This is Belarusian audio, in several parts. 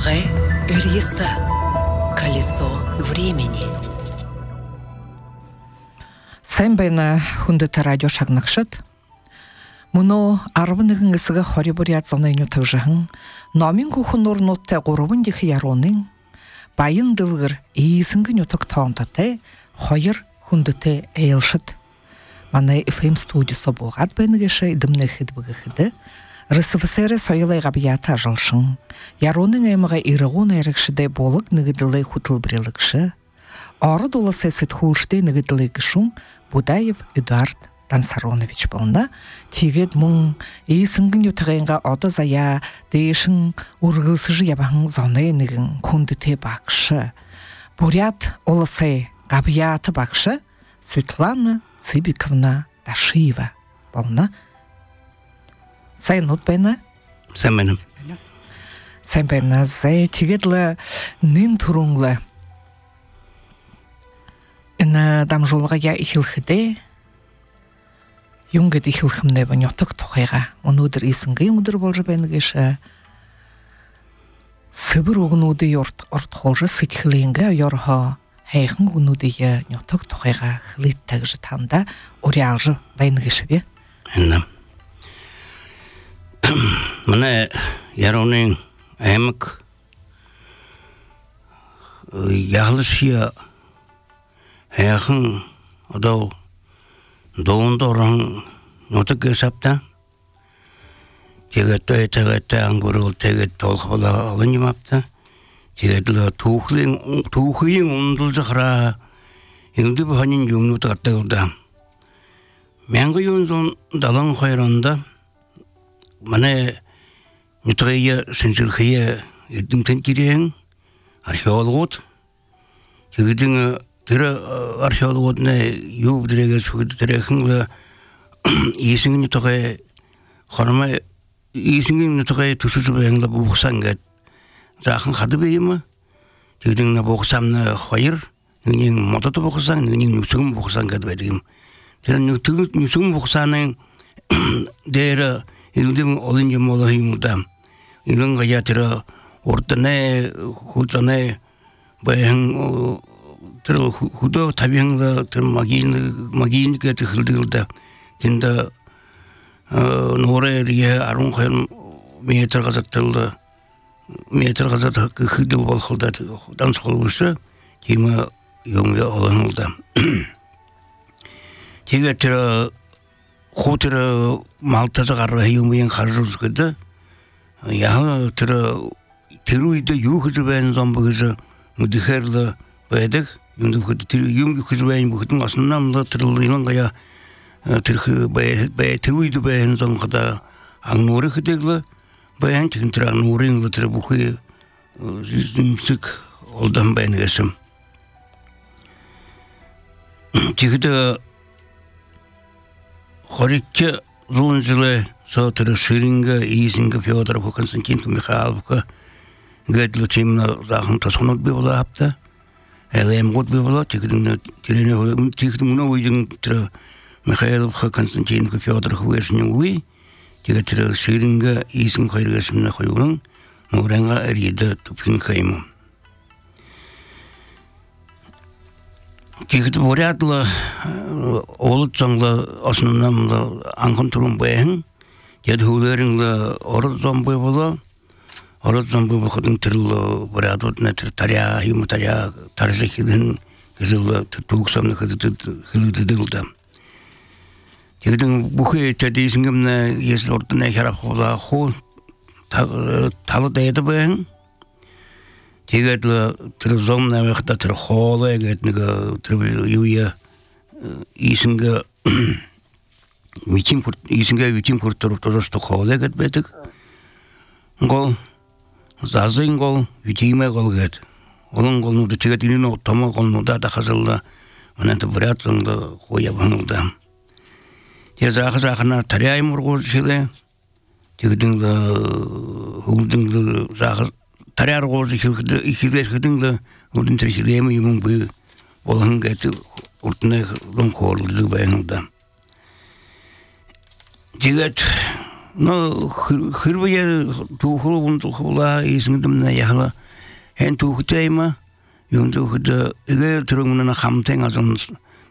Шагай Ильиса. Колесо времени. Сэмбэна хүндэт радио шагнагшат. Муно 11-г хорибуриат занайну тагжахан номин хөхөн нурнуудтай 3 дэх яруунын баян дылгэр ийсэнгэн ютог тоонтатай 2 хүндэтэй эйлшит. Манай FM студиосо буугаад байна гэшэ идэмнэхэд bëгэхэд РСФСР соёлын габията жылшин яруунын аймага иргүүн яригшдэ болог нэгдлээ хөтөлбөрлөгшө ород улсын сэтгүүлчтэй нэгдлээ гишүүн Будаев Эдуард Дансаронович болно. Тэгээд мөн ийсэнгэн ютагынга одоо заяа дэшин үргэлсэж явахан зоны нэгэн хүндтэй багш Бурят улсын габията багш Светлана Цибиковна Дашиева болно. Сайн нут байна. Сайн байна. Сайн байна. Тэгээд л нэн түрүүнглээ энэ дамжуулга я ихэлхэдэ юнгад ихэлхэмнэ ба нётог тухайга өнөөдөр ийсэнгийн өдөр болж байна гэж сэбэр өгнүүдийн урт хоолж сэтгэлэнгэ ёрхо хайхан өгнүүдийн нётог тухайга хэлэт гэж танда уриалж байна гэж би. Манай яруны аймаг ялшия хайхан одоо дондорон нутаг сапта тэгээд ангурул тэгээд толхола олоньмапта тэгээд л түүхийн ундулжахра энэ бохонин юмнууд гаталда 1972 манай нутгийн сэнжлхие эдэмтэнкирэн археологууд тэгээд тэр археологууд юу бүдрэгээс хүдрэхэн ийсэнгийн нутгийн хормой ийсэнгийн нутгийн төсөж байнга буухсан гэд заахан хадбэ юм тэгээд нэг буухсан хоёр нэг модод буухсан нэг нүсгэн буухсан гэд байдаг юм тэр нүсгэн буухсаны дээр илдэм олон юм олох юм да илэн гая тэр урднэ худнэ баян тэр худо тавинга тэр магин гэдэг хэлдэг тэнда норэрие 12 метр гадатал хэдэл болоход дансхолвш тийм юм олон да тэгээд тэр хутэр малтаж гараа юмын харж гэдэг яа тэр үед юу гэж байна зам гэж мэдхэрл байдаг юм гэж байна бүхэн основном тэр илангая тэр тэр үед байна зам хада ангнур хэдэг байна тэр ангнурын тэр бүхий зэмсэг олдан байна гэсэн тэгэд хорикке зунжле сотер ширинга ийсинга Фёдоров Константин Михайловка гэдло темна захан тосхонод бивла апта элем год бивла тэгэн тэрэнэ тэгэн мөнөйдэн тэр Михайлов Константин Фёдоров вэшнүи тэгээд тэр ширинга ийсин хоёргасмна хоёрын нуранга эрида тупин хайм тэгэд бурятла олцонгла основном анхан турун байн тэгэд хулэрин орзомбой боло ходын тэрл бурятууд тэр таря юм таря таржихин гэрэл түүгсамны хэлэдэг л да тэгэд бүхий тэдисэнгэмнэ есл ордны харахула хуу талдайд байн тэгээд тэр зомнаа байхдаа тэр хоолой гэдэг нэг тэр юуя ийсэнгэ витим портор тожто хоолой гэдэг байдаг. Гол зазын гол витимэ гол гэдэг. Олон голнууд тэгээд энэ томоо голнуудаа дахасалла манайд бурятланд хоя бануда. Тэгээд заахна таряй мургуул шилэ тэгээд хөвдөн заах таряар гоож ихлэхэдэн үдэн тэр хилэм юм бий болон гэдэг урдны лонхорлог байна да. Тэгээд no хырбая тухулун тухула исиндемна яхла хэн тухтайма юндухда эгэ трумна хамтен азон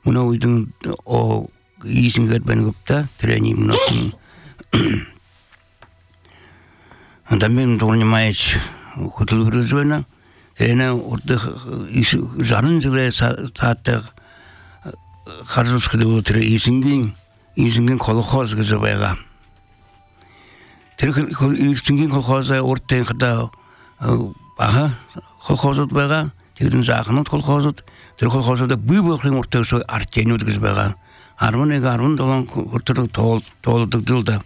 муна уйдун о исингет бенгупта трени муна андамен донимаич хутулгрызвена эна орда жарын жыле саатта харжускыды тре исинген колхоз гызбайга исинген колхоза ортен кыда ага колхозот байга тэгдин жакынот колхозот тэр колхозда бүйбөлхөн ортосо артен өткөзбайга армонега армон долон ортор тоолдук жылда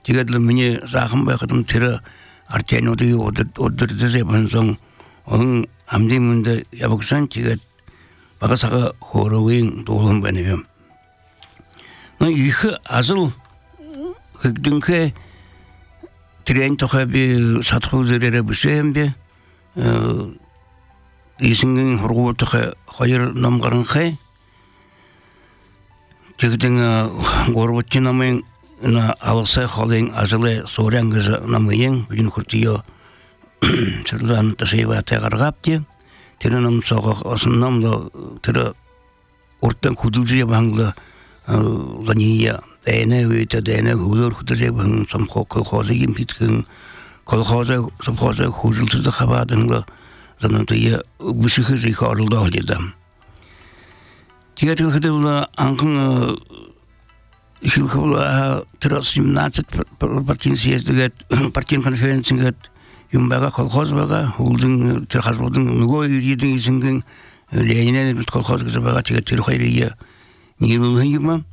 тэгэдл мне жакын байкадым тэр артен өдөрдө зебен сон onun amdiminde yapıksan tiget bakasaka horoğun dolun benim. Ne iki azıl hükdünke tren tokabi satı üzerine bir şeyim be isinin horoğu hayır namgarın kay tigedin gorbatçı namın na alsa halin azılı soran kızı namıyın bugün kurtuyor. Çırdan taşıyla tegargaptı. Terenam soğuk asınamla tere ortadan kuducuya bangla zaniya dene ve dene hudur kuducuya bang samko kolkhoza yimpitkin kolkhoza huzultu da xabadınla zanantaya büşühüzü karıldı halidam. Tiyatil xidilla ankın hilkıvla tere 17 partiyin siyasetliget partiyin konferensiget Юмбага колхоз бага, улдың терхазбудың нүго үйрейдің исінген лейнен колхоз бага теге терхайрия нилулгын юма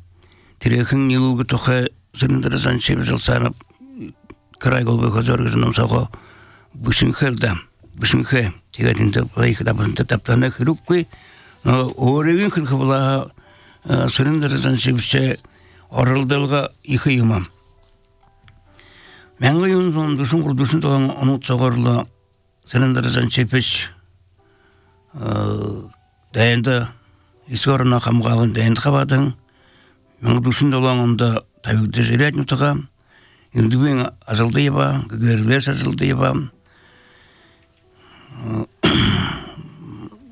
терехин нилулгы тоха сырындырызан шебі жылсанып край голбы хозор гызыным саго бушинхе тегединде лайхы дабында таптана хируккы орегин хылхыбыла сырындырызан шебіше орылдылға ихы юмам Мәңгі юнсон дүшін құрдүшін толан ұнут соғырлы сіліндірізен чепеш дайынды есі орына қамғалын дайынды қабадың мәңгі дүшін толан онда табиғды жерет нүтіға үндібен азылды еба, гүгерлес азылды еба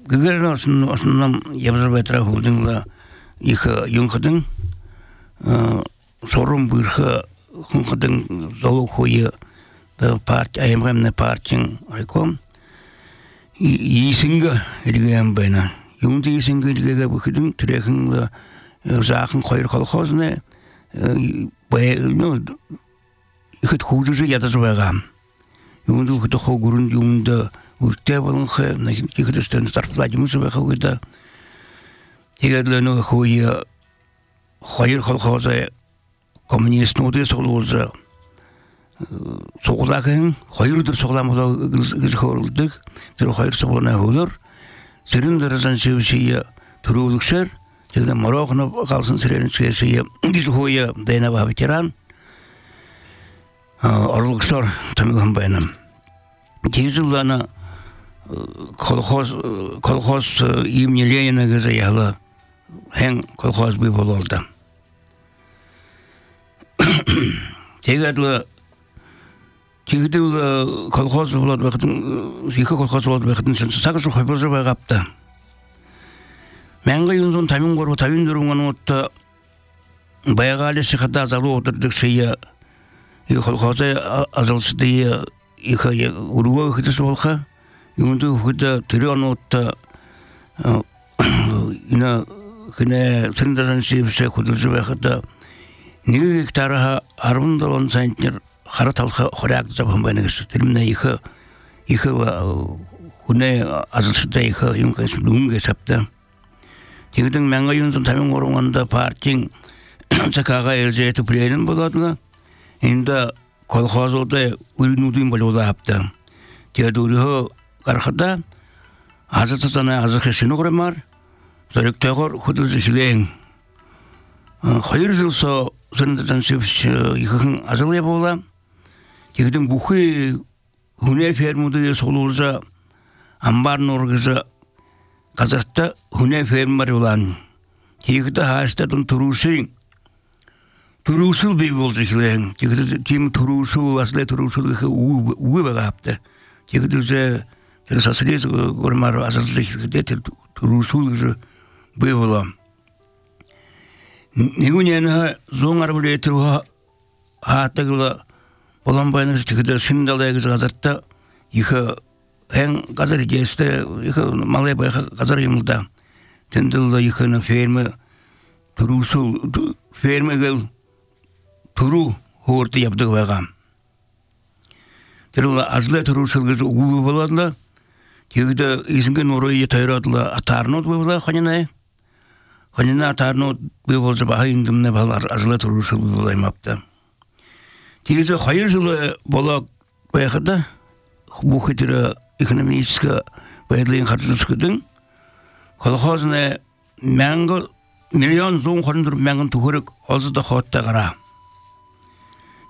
гүгерлер осыннан ебізір бәтіра хулдыңла екі юнқыдың сорын бұйырқы Хунхадың залу хойы аймғамны партияң райком есінгі ерігем байна. Юңды есінгі ерігеге бүкідің түрекіңді жақын қойыр колхозны үкіт хужызы ядызы байғам. Юңды үкіті хоғырын юңды үртте болыңқы, үкіт үстірін тарпыладымызы байға өйді. Тегедліні хойы қойыр колхозы коммунист ноды соғылуызы соғылағын, қойырдыр соғыламыда ғыз қорылдық, тэр қойыр соғылына ғылыр, сіріндірізін сөйшейі түрі өлікшер, тегді марауқыны қалсын сіренін сөйшейі діз қойы дайнава ветеран, орылықшар тамилған байным. Тегізілдіні колхоз имени Ленина ғызы яғылы, әң колхоз бүй болылды. Тегеділі колхоз болады бәқітін, екі колхоз болады бәқітін сенсі сағыз қойбызы байғапты. Мәңгі юнзон тамин қорбы, тамин дүріңін отты байғалы шықыда азалу отырдық шейі колхозы азалшыды екі ұруға үкітісі болға, юнды үкіті түрен отты сіріндерін сейбісі күділсі бәқіті Неге гектарға арбын долон сайынтнер қара талқа қоряқты жабын байнығыз. Тіліміне екі хүне азылшыда екі үңге сапты. Тегдің мәңгі юнсын тамин орынғанда партияң цакаға елже еті пілейін боладыға. Енді колхозылды үрінудың болуды апты. Тегді үрігі қарқыда азы тұтаны азы қешіні қорамар. Зоректағыр құдылзы хилең. Hayır жылса сырындырдан сөпіш екіғын азылы бола. Тегдің бұқы хүне фермуды соғылуыза амбарын орғызы Қазақта хүне ферм бар олан. Тегді хастадың тұрусы Turusul bir bolsa kilen. Tim turusul asle turusul uwe bagapte. Tigde ter sasriz gormar azazlik de turusul bir bolam. Nigunyana zongar bule tru hatagla bolam bayna tigde sindalay gazarta yıka en gazar geste yıka malay bay gazar yımda. Tendilda yıkana ferme turusul ferme gel turu hortu yaptık bagam. Terla azle turusul gaz ubu boladla. Tigde izingen orayı tayratla atarnot bola xanina. Xanina atarnot bolsa bahayındım ne balar azle turusul bolaymaptı. Tigde hayırlı bola bayakda bu xitira ekonomiska bayadlayın xarjıskıdın. Kolxozne mango milyon zon xondur mangon tuhuruk olsa da xotta gara.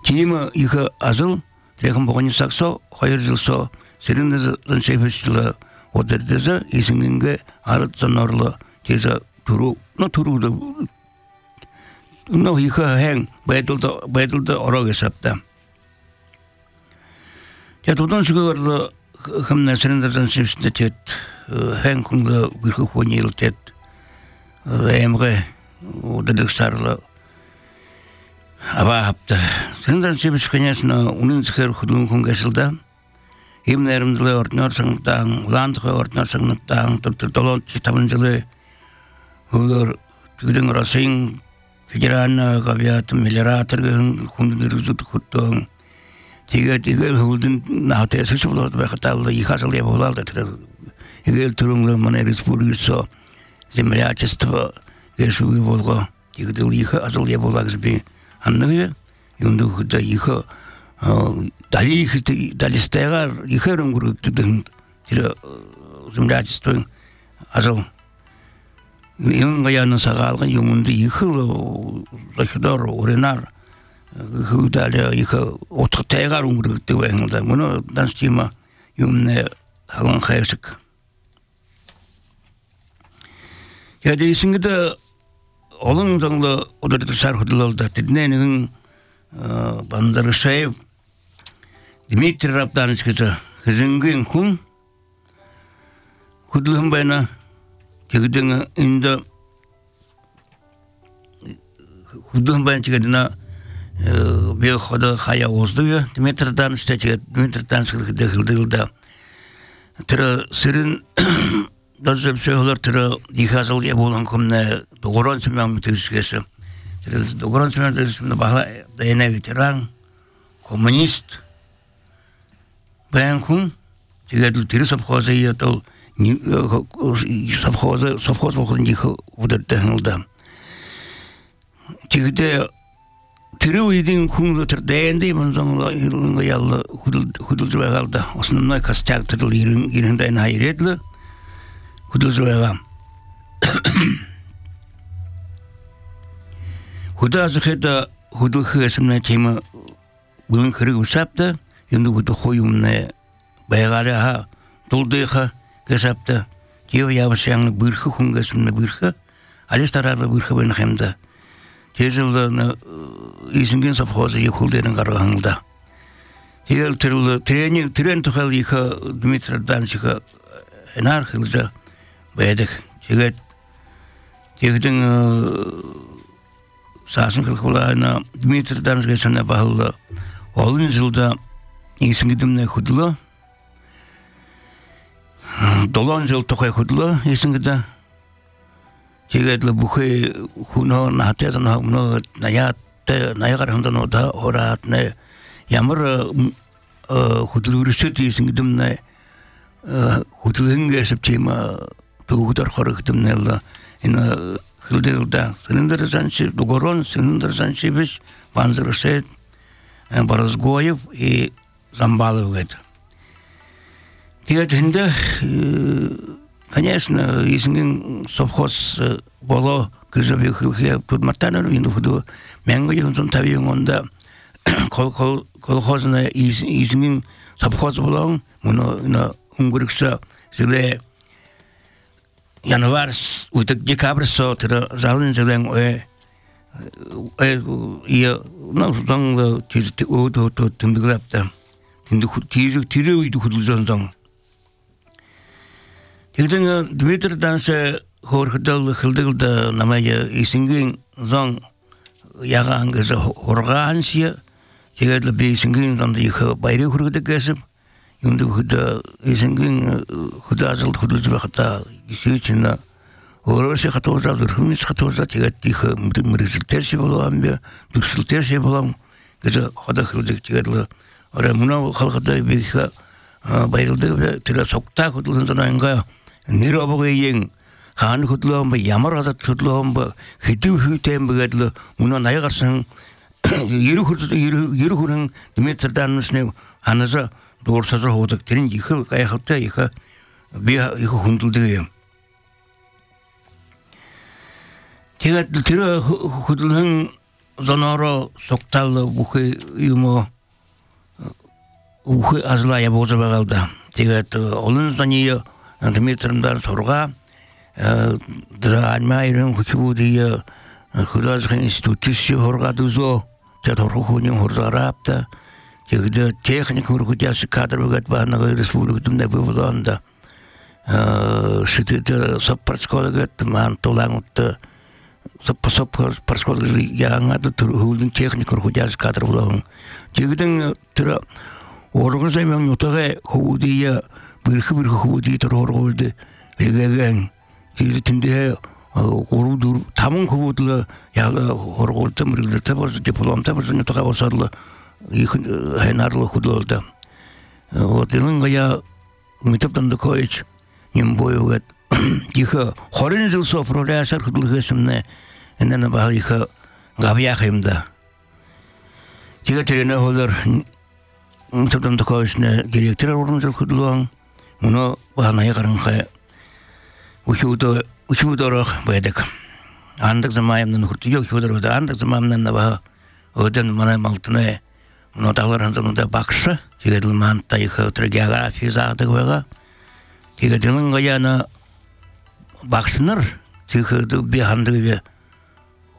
Kima yıka azıl trekim boğanı sakso hayırcılso serinde şefesli oderdeze izingenge arıt zanarlı teza turu no turu da no yıka heng bayadılda ora hesapta. Ya tutan çıkıyordu hımna serinde şefesli tet heng kungla bir kunyil tet emre oderdeksarlı aba hapta. Serinde şefesli kanyasına onun çıkar hudun kungasilda himlerimizle ortnar sanıktan, lantığı ortnar sanıktan, dolon kitabıncılığı hılar tüydün rasayın federalna gabiyatın miliratırgın kunduruzut kuttuğun tiga hıldın nahtaya sıçı bulardı ve hatallı yıkasılı yapılardı. Higel turunlu mana respublikası zemlячество geçiyor volga tiga yıka asıl yapılardı bir anlığı yundu da yıka dalistaygar yıkarım gruptudun tira zemlячество asıl yılın gayanın sağalgın yumundu yıkılı zakidar orenar hıdale yıka otuktaygar gruptu ve bunu dansçıma yumne halın kayasık. Ya değilsin de olun zanlı odada sarhıdılalda dednenin bandarı sayıp Dimitri Raptanı çıkıtı hızıngın kun kudluğun bayına çıkıdığını indi kudluğun bayına çıkıdığına bir koda haya oldu ya Dimitri Raptanı çıkıtı Dimitri Raptanı çıkıtı hıldığılda tıra sırın dözüm söyler tıra yıkasıl ya bolan kumne doğuran sümyan mütevizgesi doğuran sümyan mütevizgesi bahla dayana veteran komünist ben kun tigedil tiri savxoza yatol savxoz okudun yıkı udartahılda tigede tiri uydin kun tır dayandı bunzanla yılınga yallı hudulcu bağalda osnumna kastak tırıl yerinden hayretli hudulcu bağam huda azıkıda hudul hıgasımna tema bulun kırık usapta yundu hudu koyumna baygara ha doldığı gasapta diyor yavaşyanlı bırkı kungasımna bırkı alis tararlı bırkı ben hemde tezilda izingen savxoza yıkıldığının karağında diyor tren tukhal yıka Dimitri Dançıka enar hılca baydık tigedin sasın kılkılarına Dimitri Dançıka sana bağlı olun yılda İsingidimne hudlu dolan yıl tokay hudlu İsingide tigedle buhay kuno nahtiyatın hamno nayakarımdan oda orat ne yamır hudlu rüsüt İsingidimne hudluğun geçip tema tuğudar korukdimne Allah ina hıldı yılda senindir zanşi dogoron senindir zanşi biş banzırı set Barazgoyev Замбалов это. Тегатында, конечно, изingen совхоз боло кызыбы хылхы турматтаныр инде худу менго юнтун табиңонда колхозна изingen совхоз болон муну на унгурыкса жыле январь утык декабрь сотыр жалын жылен 이 나서당 뒤지 오도 등등랍다. 근데 뒤에 위도 후들전당. 이제는 드미트르 단세 호르달 흘들다 남아야 이싱긴 장 야간 그래서 호르가 한시야 제가 비 싱긴 단데 이거 바이레 후르데 계습 윤도 후다 이싱긴 후다절 후들지 갔다 이시치나 어르시 가토자들 흠이 가토자 제가 이거 무슨 테시 볼람be 두슬 테시 볼람 그래서 하다 흘들 제가 어라 문화 халқада 비가 바이르데 들어 속다 후들던다는 거야 니러보고 잉 한 후들로 뭐 야마라다 후들로 뭐 히트히템버들 문화 나야가선 이르후는 디메트르단스네 하나서 도르서서 호득 되는 이거 가야 할때 이거 비하 이거 흔들대요. 제가 들어 후들은 전화로 속달로 부케 유모 우케 아슬라야 보자 봐갈다. 제가 또 올른선이요. 디메트르단 서로가 드라마 이런 후치부디요. 그다지 인스티튜트 호르가도서 저도로군요 호르자랍다. 저기도 테크닉으로 그자스 카드를 받는 레스publika 좀 내보던다. 시티드 서퍼스콜가 만 돌랑부터 서퍼스콜가 양아도 들어오는 테크닉으로 그자스 카드를 불러. 저기도 들어 오르고서 명 요타가 후디야 비르크 후디 들어오르고 이게 이제 근데 고루도 담은 거보다 야가 호르고 때문에 때버서 디플롬 때버서 또 가버서로 이 해나로 후돌다 어디는 거야 미탑던도 코이치 님보요가 이거 호른줄 소프로라서 후돌했음네 엔나 봐 이거 가비야입니다 제가 드리는 호들 미탑던도 코이치네 디렉터로 호른줄 후돌왕 문어 하나에 가는 거야 우슈도로 봐야 돼. 안덕 자마임는 후티요 휴더로 안덕 자마임는 나봐. 어떤 만에 말트네. 노다를 한다는데 박스. 지금 만타 이거 트레가가 피자도 거가. 이거 되는 거야나 박스너. 지금도 비한드게.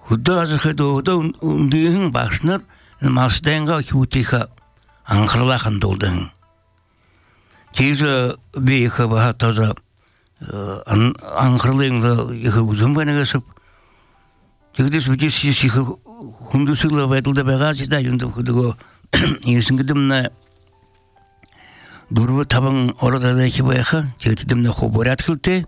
후다서 해도 운딩 박스너 마스탱가 휴티가 안 걸라 한돌등. 지저 비가 봐도서 안 그럴랭도 이거 무슨 반응에서 저기서 이제 시시 hundusigla vedilde bagajida yundu kudugo yesingidimna durbu tabang orada da kibaya jegidimna khoborat khilte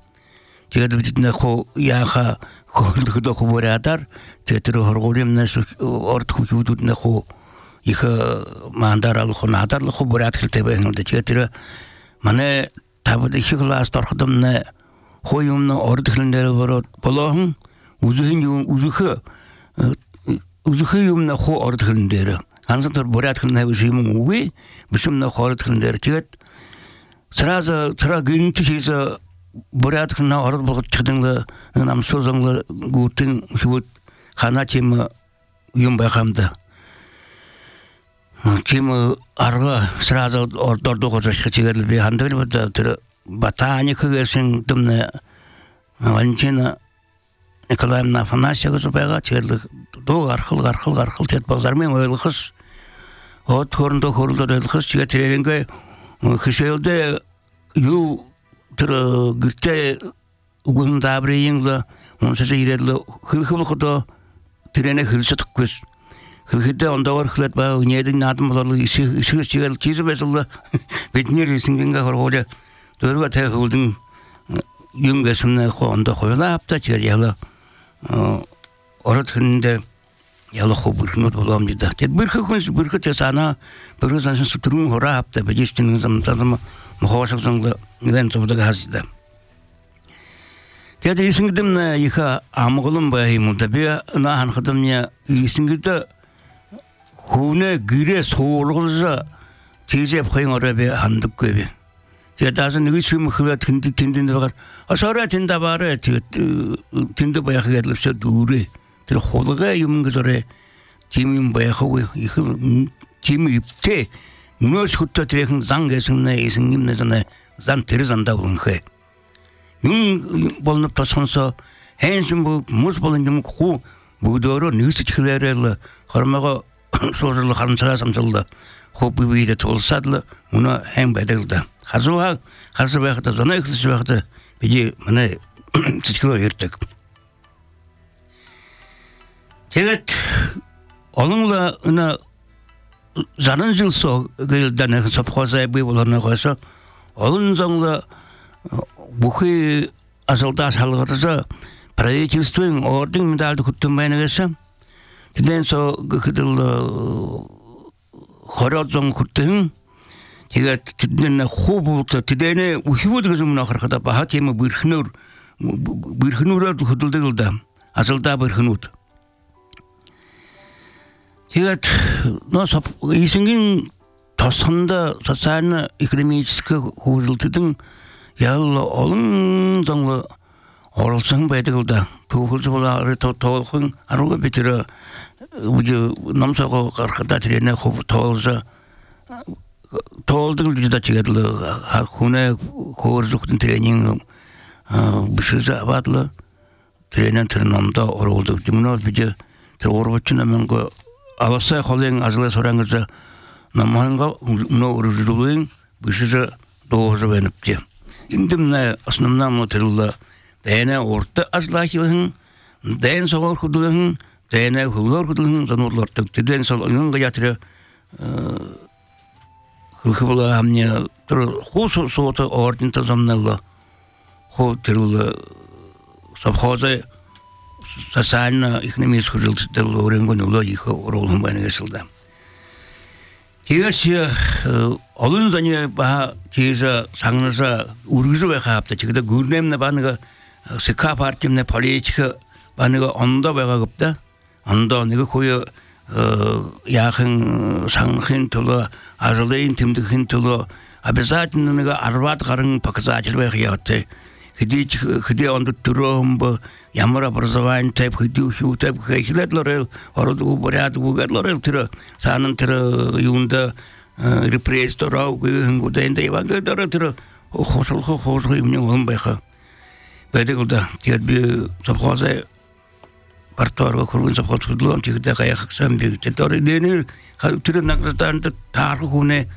jegidimna kho yaha kudu khoboratar tetro horgorimna ort khududna kho иха мандарал хонатар khoborat khilte бengde jetira мане табыды хиглас торхдымна хоюмна ордхлендер борот болохын үзүхэ юмна хо ордхлендер ансантар борат хлендер бишим уги бишимна хордхлендер жет сразу гинтишиза борат хлена орд болгот чыдыңла намсозыңла гутин хут хана чим юм байхамда чим арга сразу ордордо кожашка чегел би хандыр бата батани кыгесин дымна Валентина Николаевна Афанасьева зубайга чегел до архыл тет базармен ойлықыз от хорындо ойлықыз чеге тереренге кышелде ю тыры гирте угун дабрейинглы онсыз иредлі хылхылықыдо терене хылсы тұқкыз хылхыда онда бар хылат ба үнедің надым боларлы ишігіз чегел чизі бәсілі бетінер есінгенге хорғолы дөргі тәйхылдың юнгесімні онда қойлапта чегел орат хынында ялы хо бүрхінот болам дейді. Тет бүрхі тесана бүрхі сансын сұтырың хора апта бәдестінің замтадымы мұхавашықсыңды неден тобыдағы хасыды. Тет есінгідімні ека амығылым байымылда бе нахан қыдымне есінгіді хуне гире соғылғылжа тезеп қойын ора бе хандық көбе. Тет азы нүгі сүмі қылы тіндінді бағар. Асара тінді бары тінді баяқы кәділіп сө дұры. Тэр холга юм гэзорэ тимим баяхав тим ипте нөөс хөттө тэрхэн зан гэсэнэ эсэнгимнэ зан тэр зандаа үлэнхэ юм болнop тосхонсо хэнсэн мус болон юм хуу 부도로 뉴스 칠레를 걸마고 소설로 하면서 삼절다 호비비데 돌사들 문화 행배들다 하루와 하루베하다 전에 그스베하다 비지 만에 지키고 이렇게 제가 얼른가 나 자는질서 그일단에 접고서 비불하는 거서 얼른정가 무히 아설다 살거서 правительством орден медаль күттүмбайнагаса тиденсо кыдыл хорозон күттүн тега тиден хобулта тидене ухиводгызымна харката баха тема бирхнур күдүлдүлда асылда бирхнут тега носа исингин тосында социально экономический хужултудун ялла олун заңлы оралсан байдыгылда тугулжу болары тоолхун аруга битире уju намсаго кархата тирене хоп тоолжа тоолдугул жуда чигадылы хуне хооржуктун тренинг бишиза абадлы тренен тирнамда оролду жумно бije орбочуна менго аласа холен азлы сораңыза наманга но уружулуин бишиза доожу бенипти индимне основном материалда Дәне орта азлахилын, дән соғар құдылын, дәне құлар құдылын, занорлар төкті. Дән сол ұйынға жатыры қылқы бұла әмне тұры қол соғыты ординта замналы қол түрілі совхозы социально экономический жылтыдыл өренген ұлы екі оролын байны кесілді. Тегесі олын зәне баға тезі саңныза үргізі бай қапты. Тегеді көрнемні бағыныға Сыка партиямне политика баныга онда байгапта онда неге кое яхын саңхын толо ажылын тимдихин толо обязательно неге арват гарын показатель байгатты хиди онда туром ямар образование тип хидухи тип хилетлорел ороду порядку гадлорел тире санын тире юнда репрессторау гунденде ивангадор тире хошол имне олбайха Бедегулда тиерби совхоза парторга кургун совхоз худлон тигде каяхсам биг тетори денер хатыр награтан тар хуне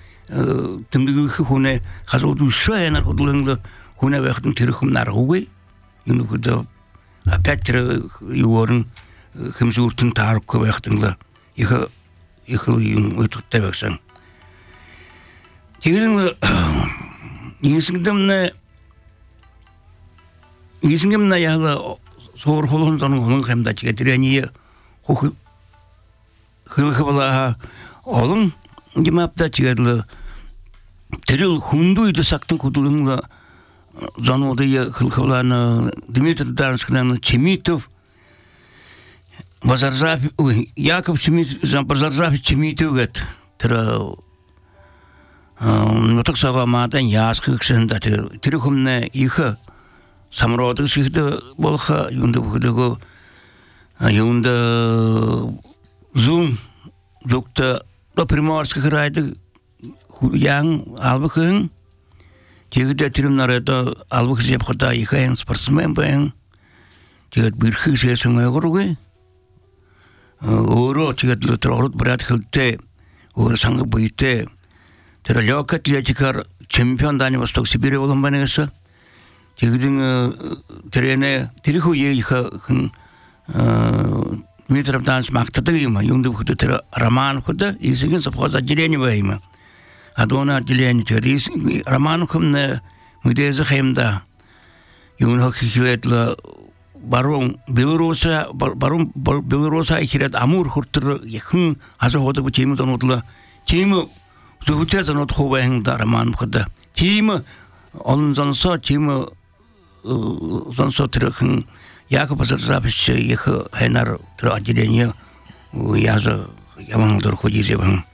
тимдиги хуне хазуду шайнар худлонда хуне вахтын тирхум наргуй юну худа опять юорн химзуртын тар квахтынла иха юм утуттабаксан тигин нисиндемне 이승겸 나야가 서울 호론도는 오는 감다 지가 드려니 혹 흘흐블라 얼음 김압다 지가들 드릴 훈두이도 삭든 고들은가 전오대에 흘흐블라는 드미트르 다르스크는 체미토 базаржав Яков Чемитов базаржав Чемитов гет тра ну так сага матан яскыксында тирхумне иха самроды шихде болха юнда бүдөгө юнда зум доктор до приморский крайды яң албыкын тегде тирмнарда албык жеп хата ихен спортсмен бен тегд бирхи сесеңе горгой оро тегд тророт брат хилте ор санга буйте тера лёгкая атлетика чемпион Дальнего Востока Сибири олимпиадасы тегдин терене териху еиха метров данс мактады има юнды худы тера роман худа изеген совхоз отделение вайма адона отделение терис роман хумне мудезе хемда юнхо хилетла барон белоруса ихират амур хуртыр яхын азоды бу тему донотла тему зухутезан от хобаен роман худа тему он занса тему занса трехн Яков Базаржавич их хенар тро отделение яза ямангдор ходизебан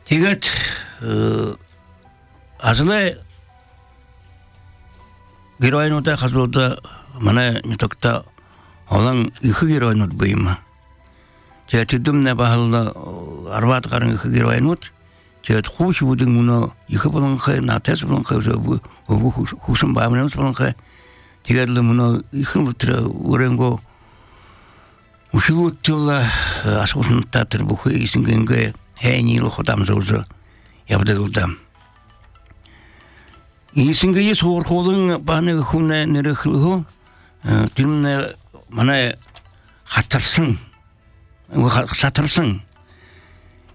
тигат азле героинута хазуда мана нитокта олан их героинут быйма тетидумне бахалла арват гарын их героинут тет хуш будин муна их болон хай натес болон хай жобу хушум бамнамс болон хай тигадли муна ихын лутра уренго Ушуутла асгуснта тэрбухи исингэнгэ хэнийл хотамзуулж явдагылдам. Исингээ суурхуулан бааны хүнэ нэрхлөө тэрнэ манай хатарсан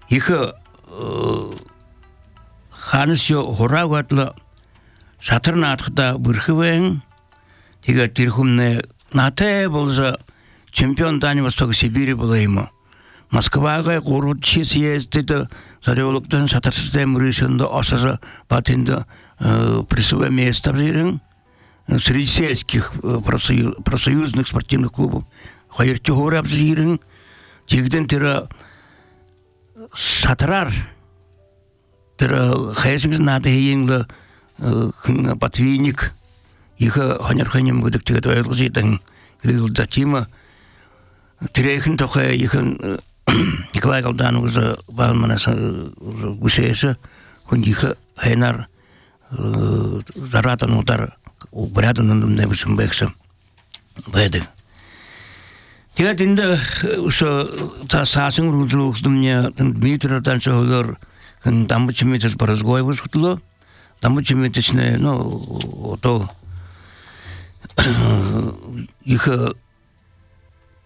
их ханасё хураагатла сатарнаатхта бүрхвэн тэгээ тэр хүнэ натай болжа чемпион Дальневосток Сибири было ему. Москвага городчи съездит зареволуктан сатарсистем решенда осажа патенда присвоя места в Жирен среди сельских профсоюзных спортивных клубов. Хайрти гора в Жирен тигден тера сатарар тера хайсинг надо хейнгла патвиник их ханерханем выдак тига твойлжитан грилда тима Терехин только ихан Николай Галдан уже балманас гусеса хундиха хайнар заратан удар убрядан небесим бексам бэдэг. Тега тинда уша та сасың ружлух думня Дмитрий Танцовлер хан дамбучимитес поразгойвус хутло дамбучимитесне то иха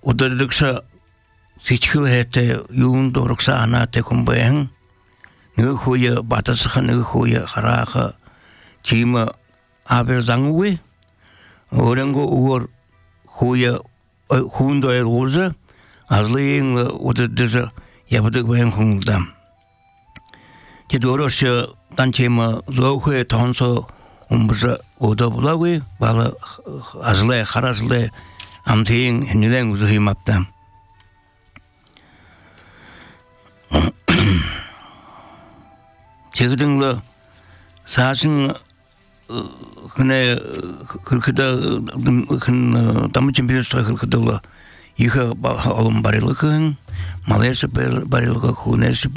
Удалыкса сичхил хэте юун дорокса анате kumbayang нөхөе батасха нөхөе хараха тима аберзангуи оренго уор хөөе хүндээр уулза азлын удаддэ ябдаг баян хүндам тэдорош танчема зөөхө тонсо умбза удаблагуи бала азлэ харазлэ Амтин нилэн үзэх юм апта. Тэгдэнлэ саасан хнэ хөрхөдө хэн дамчимбиэс хөрхөдө их олон барилгын малэс барилга хүнэс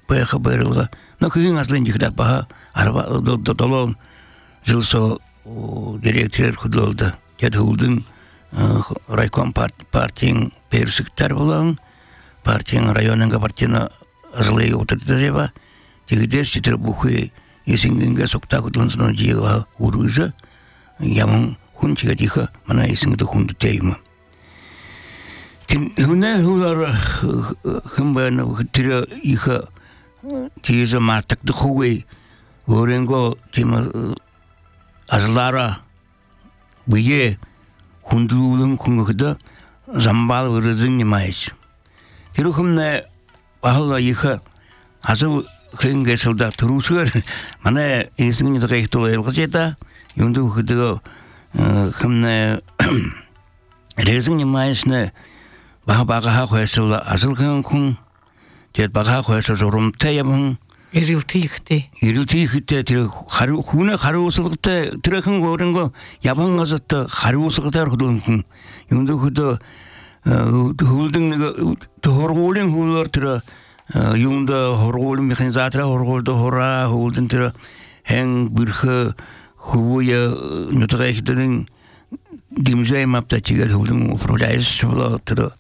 бэх барилга нөхөн аслын ихдэ ба арба долон жилсо директор хөдлөлдө тэд хөлдөн райком партияң персиктер болан, партияң районыңға партияна азылай отырдырева, тегідер сетір бұқы есінгенге соқта құдылынсына жиыға ұрыжы, ямын құн тегедігі мана есінгеді құнды тейімі. Хүнне ұлар құмбайны құттыры иғы тегізі мартықты құғай, өренгі темі азылара бұйе Хундулун хунгда замбал вырызын немайс. Терухумне бахалла иха азыл хынгесылда турушыр. Мана есіңіне тағайық толай елғычета. Юнду хыдыға хымне резін немайсны баға қойсылда азыл хын. Тет баға қойсы зорумта ябын. Ирилтихте тэр хүнэ хариусалгатай тэрхэн гооринго ябан газат хариусалгатай хөдөлгөн юунд хөдөө хөлдөн нэг хоргуулын хөлөөр тэр юунд хоргуулын механизатра хоргуулд хораа хөлдөн тэр хэн бүрхэ хөвөе нутгайхдын димжай мапта чигээр хөлдөн управляешь болоо тэр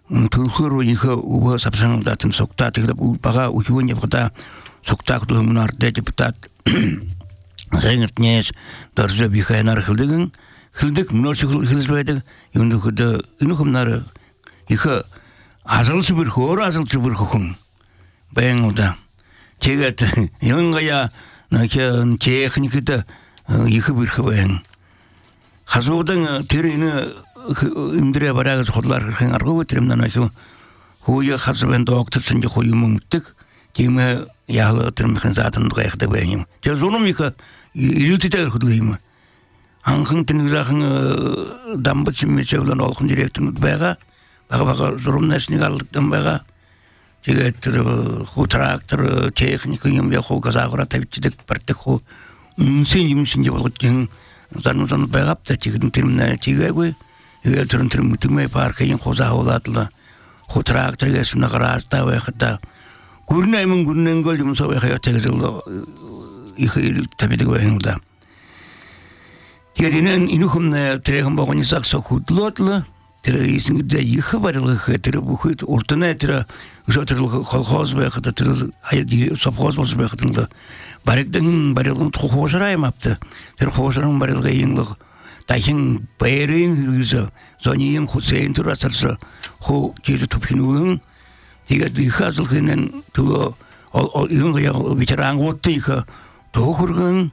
Tulhuru iha uba sapsang datin sokta tigrab baga uhiwan yapkata sokta kutul munar de deputat zengert nyes darja biha enar khildik munor shikul khilsbaydak yundu khuda inukhum nar iha azal subir khun bayang oda chegat yangaya nakya technikita iha bir khawang khazudang terine имдре барагас ходлар хэн аргуу тэрэмнэн ахи хөөе хасвэн доктор сэнжи хөөе мөнгөдөг тийм яалаа тэрмхэн заатан гайхдаг байм тэр зунумика ирэлттэй хөдлөйм анхан тэнэгрэхэн дамбач мичэвлэн олхон директоруд байгаа зурумнасны галдан байгаа тэгээд тэр хутрактор техник юм я хоо газагра тавьчихдаг партик хоо үнсэн юмшин болгочихин занудан байгаа тэгэн тэрмнэ тийгээгүй Тэрэн мэтэмэй паркын хозаавлаадлаа хутрактэргээс нагараастаа байхад гүрнэнгөл юмсоо байхаа тэгэл их табидэг байнда. Тэгээд энэ инухэмнэ трэхэн богоны саксо худлоодлаа isinde yıkı barılığı tırı bu kuyut ortana tırı uşatırlığı kolhoz ve kıta tırı hayır sophoz olsun ve kıtınlı barıktan barılığın toğuşarayım yaptı tırı hoşarın barılığı yığınlığı dayın bayırın yüzü zoniyın Hüseyin tırı asırsı hu kezi tupinulun diye yıkı azılığının tulu ol yığınlığı veteran ottu yıkı toğurgun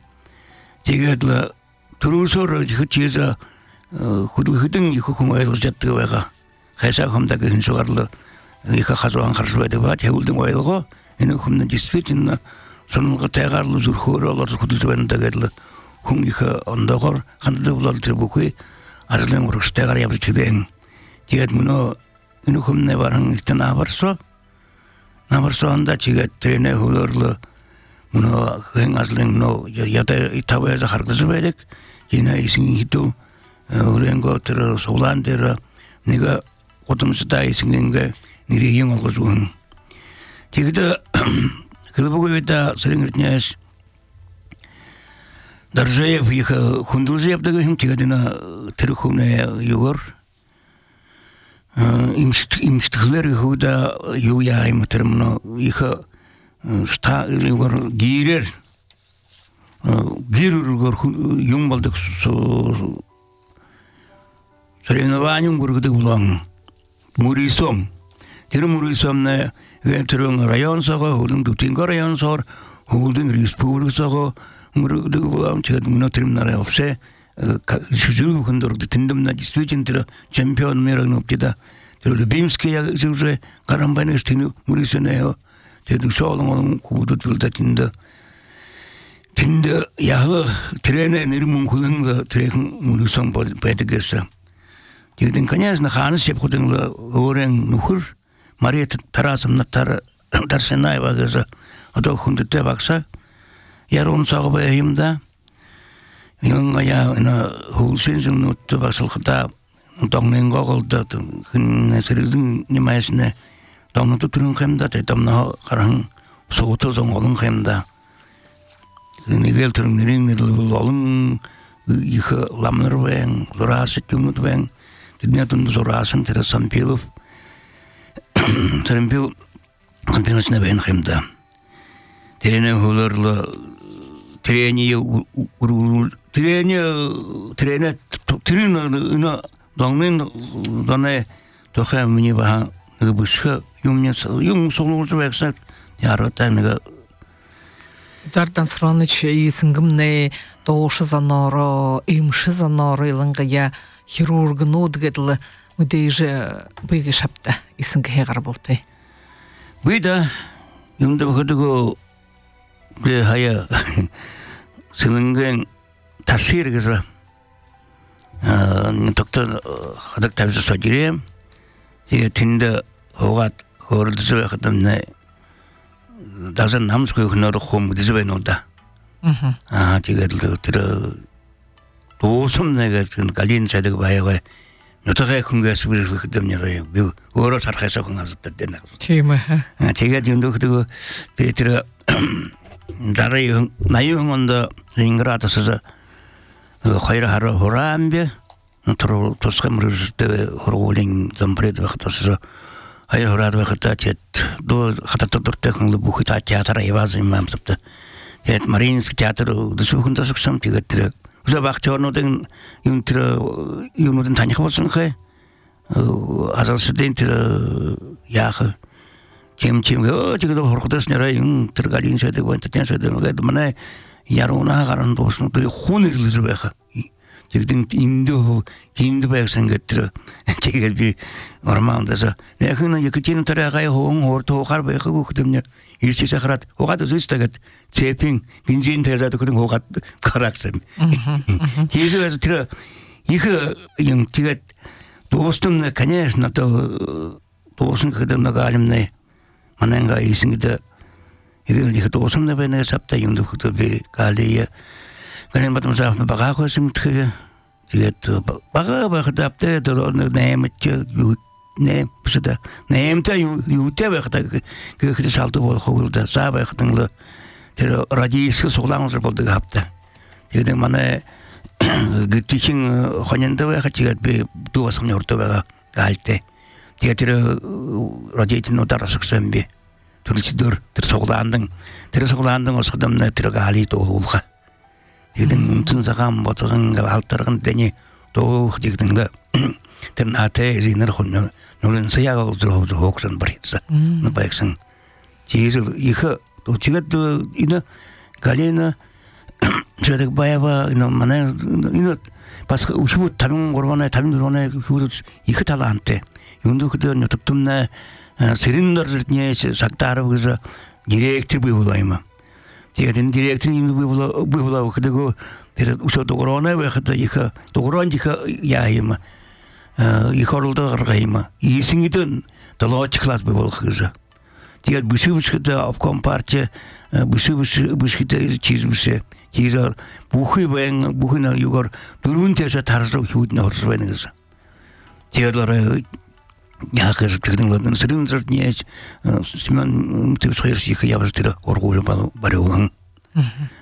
diye turu sonra yıkı kezi Hudulhudun yıkı kumaylı jattığı veğa. Haysa kumdaki hınsuğarlı yıkı hazılan karşıbайды var. Hevuldun oyılğı. Eni kumdan действительно sonulғы taygarlı zurkhuri olar hududu beninde gedli. Kum yıkı onda kor. Kandıda bulalı tribukuy. Azılın uruş taygar yapı çıkdayın. Tiget bunu eni kumne varın ilkten nabarso. Nabarso onda tiget trene hularlı. Bunu kıyın azılın no yada itabaya harkızı bedik. Yine isin hitu. Urengo tırı soğlan tırı nega otumsu da isingenge niriyin olguzuğun. Tigide kılıbı kuvvete sırıngırtnyaz Darzayev yıkı Kundulzayev da gözüm tigedina tırı kumnaya yugur. İmştıklar yıkı da yuyayım tırımını yıkı yugur girer. Girer yung baldık Соревнованием гургды улан. Мурисом. Тэр мурисомны тэрэн район сага, хулын Дутинга район сар, хулын республик сага гургды улан чэд мунатырым нарай опсе жил бүхэндөргды тэндэмна действительно тэр чемпион мира нуптида. Тэр Любимский уже карамбанеш тину мурисонео. Тэр шоолон олон кубудут билда тинда. Тинда яхлы трене нэрмун хулын трехн мурисом байдыгэсэ. Тигден, конечно, ханыс шеп худыңлы өрен нухыр, Мария Тарасовна Тарсенаева газа, ото хундыте бакса, яр он сағы байымда, еліңға я хулсензің нутты баксылқыта, тоңнен қоғылды, күнне сірілдің немайсіне, тоңнуты түрін қемда, тайтамна қараң соғыты зоң олың қемда. Негел түрін нерің бұл олың, иқы ламныр бәң, зұрасы түміт бәң, Днятун зорасын тірі Сампилов. Сампил Сампилосына бәйін қымда. Терене хуларлы терене доңмен доне тоқа мне баха гыбышқа юм солуғызы бәксат ярғатаныға. Дардан Сраныч исингимне тоғышы заноры, имші заноры илыңға я хирургын одгедлі мүдейжі бүйге шапты исінгі хеғар болты. Бүйда, юнда бұқыдығы бір хая сылынген тасир кізі. Тоқты қадық табысы содирем. Теге тінді оғат қорылдысы бәқытымны дазан намыз көйхінары қом дізі бәйін олда. Теге түрі 도섬 내가 갈린 자들 봐야 어떻게 kungas birlik demnere bu ora sarxasa kungasıp dedene. Kime? Tega dindo kudu Petra daray nayın onda Leningrad sızı hayra hara horambe notro toskamrızda horolin zampred vaqtasızı hayra horad vaqtatet do xatator teknolu bu xita teatr evazim mamsıptı. Tet Marinski teatr dışıkında sıksam tegatır. Uza bakçornodan yunudun tanık olsun ki azalsıdan yağı kim o çıkıda horkutas nere yun tırgalin söyledi bu enten söyledi bana yarona karan dostun duyu hunirlidir beka çıkıdın indi beksen getiri çıkıd bir ormandasa nekina yakıtinin tarafaya hortu hokar beka kukudum ne 일시 사카랏 호가도 있다가 제핑 빈진 대자도 그런 호가 가락섬 계속해서 들어 이거 영 제가 도스는 конечно 또 도스는 그들 나가 알림네 만난가 있습니다 이거 도스는 배에 잡다 용도 그도 갈리에 그냥 받으면 잡는 바가고 있으면 되게 이게 바가 답대 또 내면죠 ne püsüde neyimte yute vakta kıkıdı saltı bol kovuldu sağ vaktanlı radiyisi soğlanızır boldu hafta dedim bana gittikin hanında vakta çıkat bir duvasını orta vaga галте. Театр родитель ударасыксан бе. Түрэлчдөр тэр суглаандын осгодомна тэр гали тоолуулга. Тэгдэн үнтэн цагаан ботгон галалтарган дэни тоолох дигдэнга тэр нате ринер хонно нолын саяга улзроо хооксон баритса. Нбайксан. Жийл их учигат ина галена 저렇게 봐봐 이놈 만에 이놈 бас 우후 다른 거로나 다른 거로나 그거 이거 다 안돼. 윤도 그때 녀석들네 세린더르니 saktarı 그래서 디렉터 부부다이마. 제가 된 디렉터 임도 부부다 그리고 тэр 우서 도그로나 왜 그때 이거 도그로니까 야이마. 이거를 더 가이마. 이승이든 더로치 클래스 부부 그래서 제가 부시부시다 업컴파트 부시부시다 치즈부시 hier buchen buchen yugar durunte서 다르서 휴드 나오르는 거죠. 제가 야그 그런 거는 스린저니 시만 뜻서시 그 야버스들 얼굴을 바르고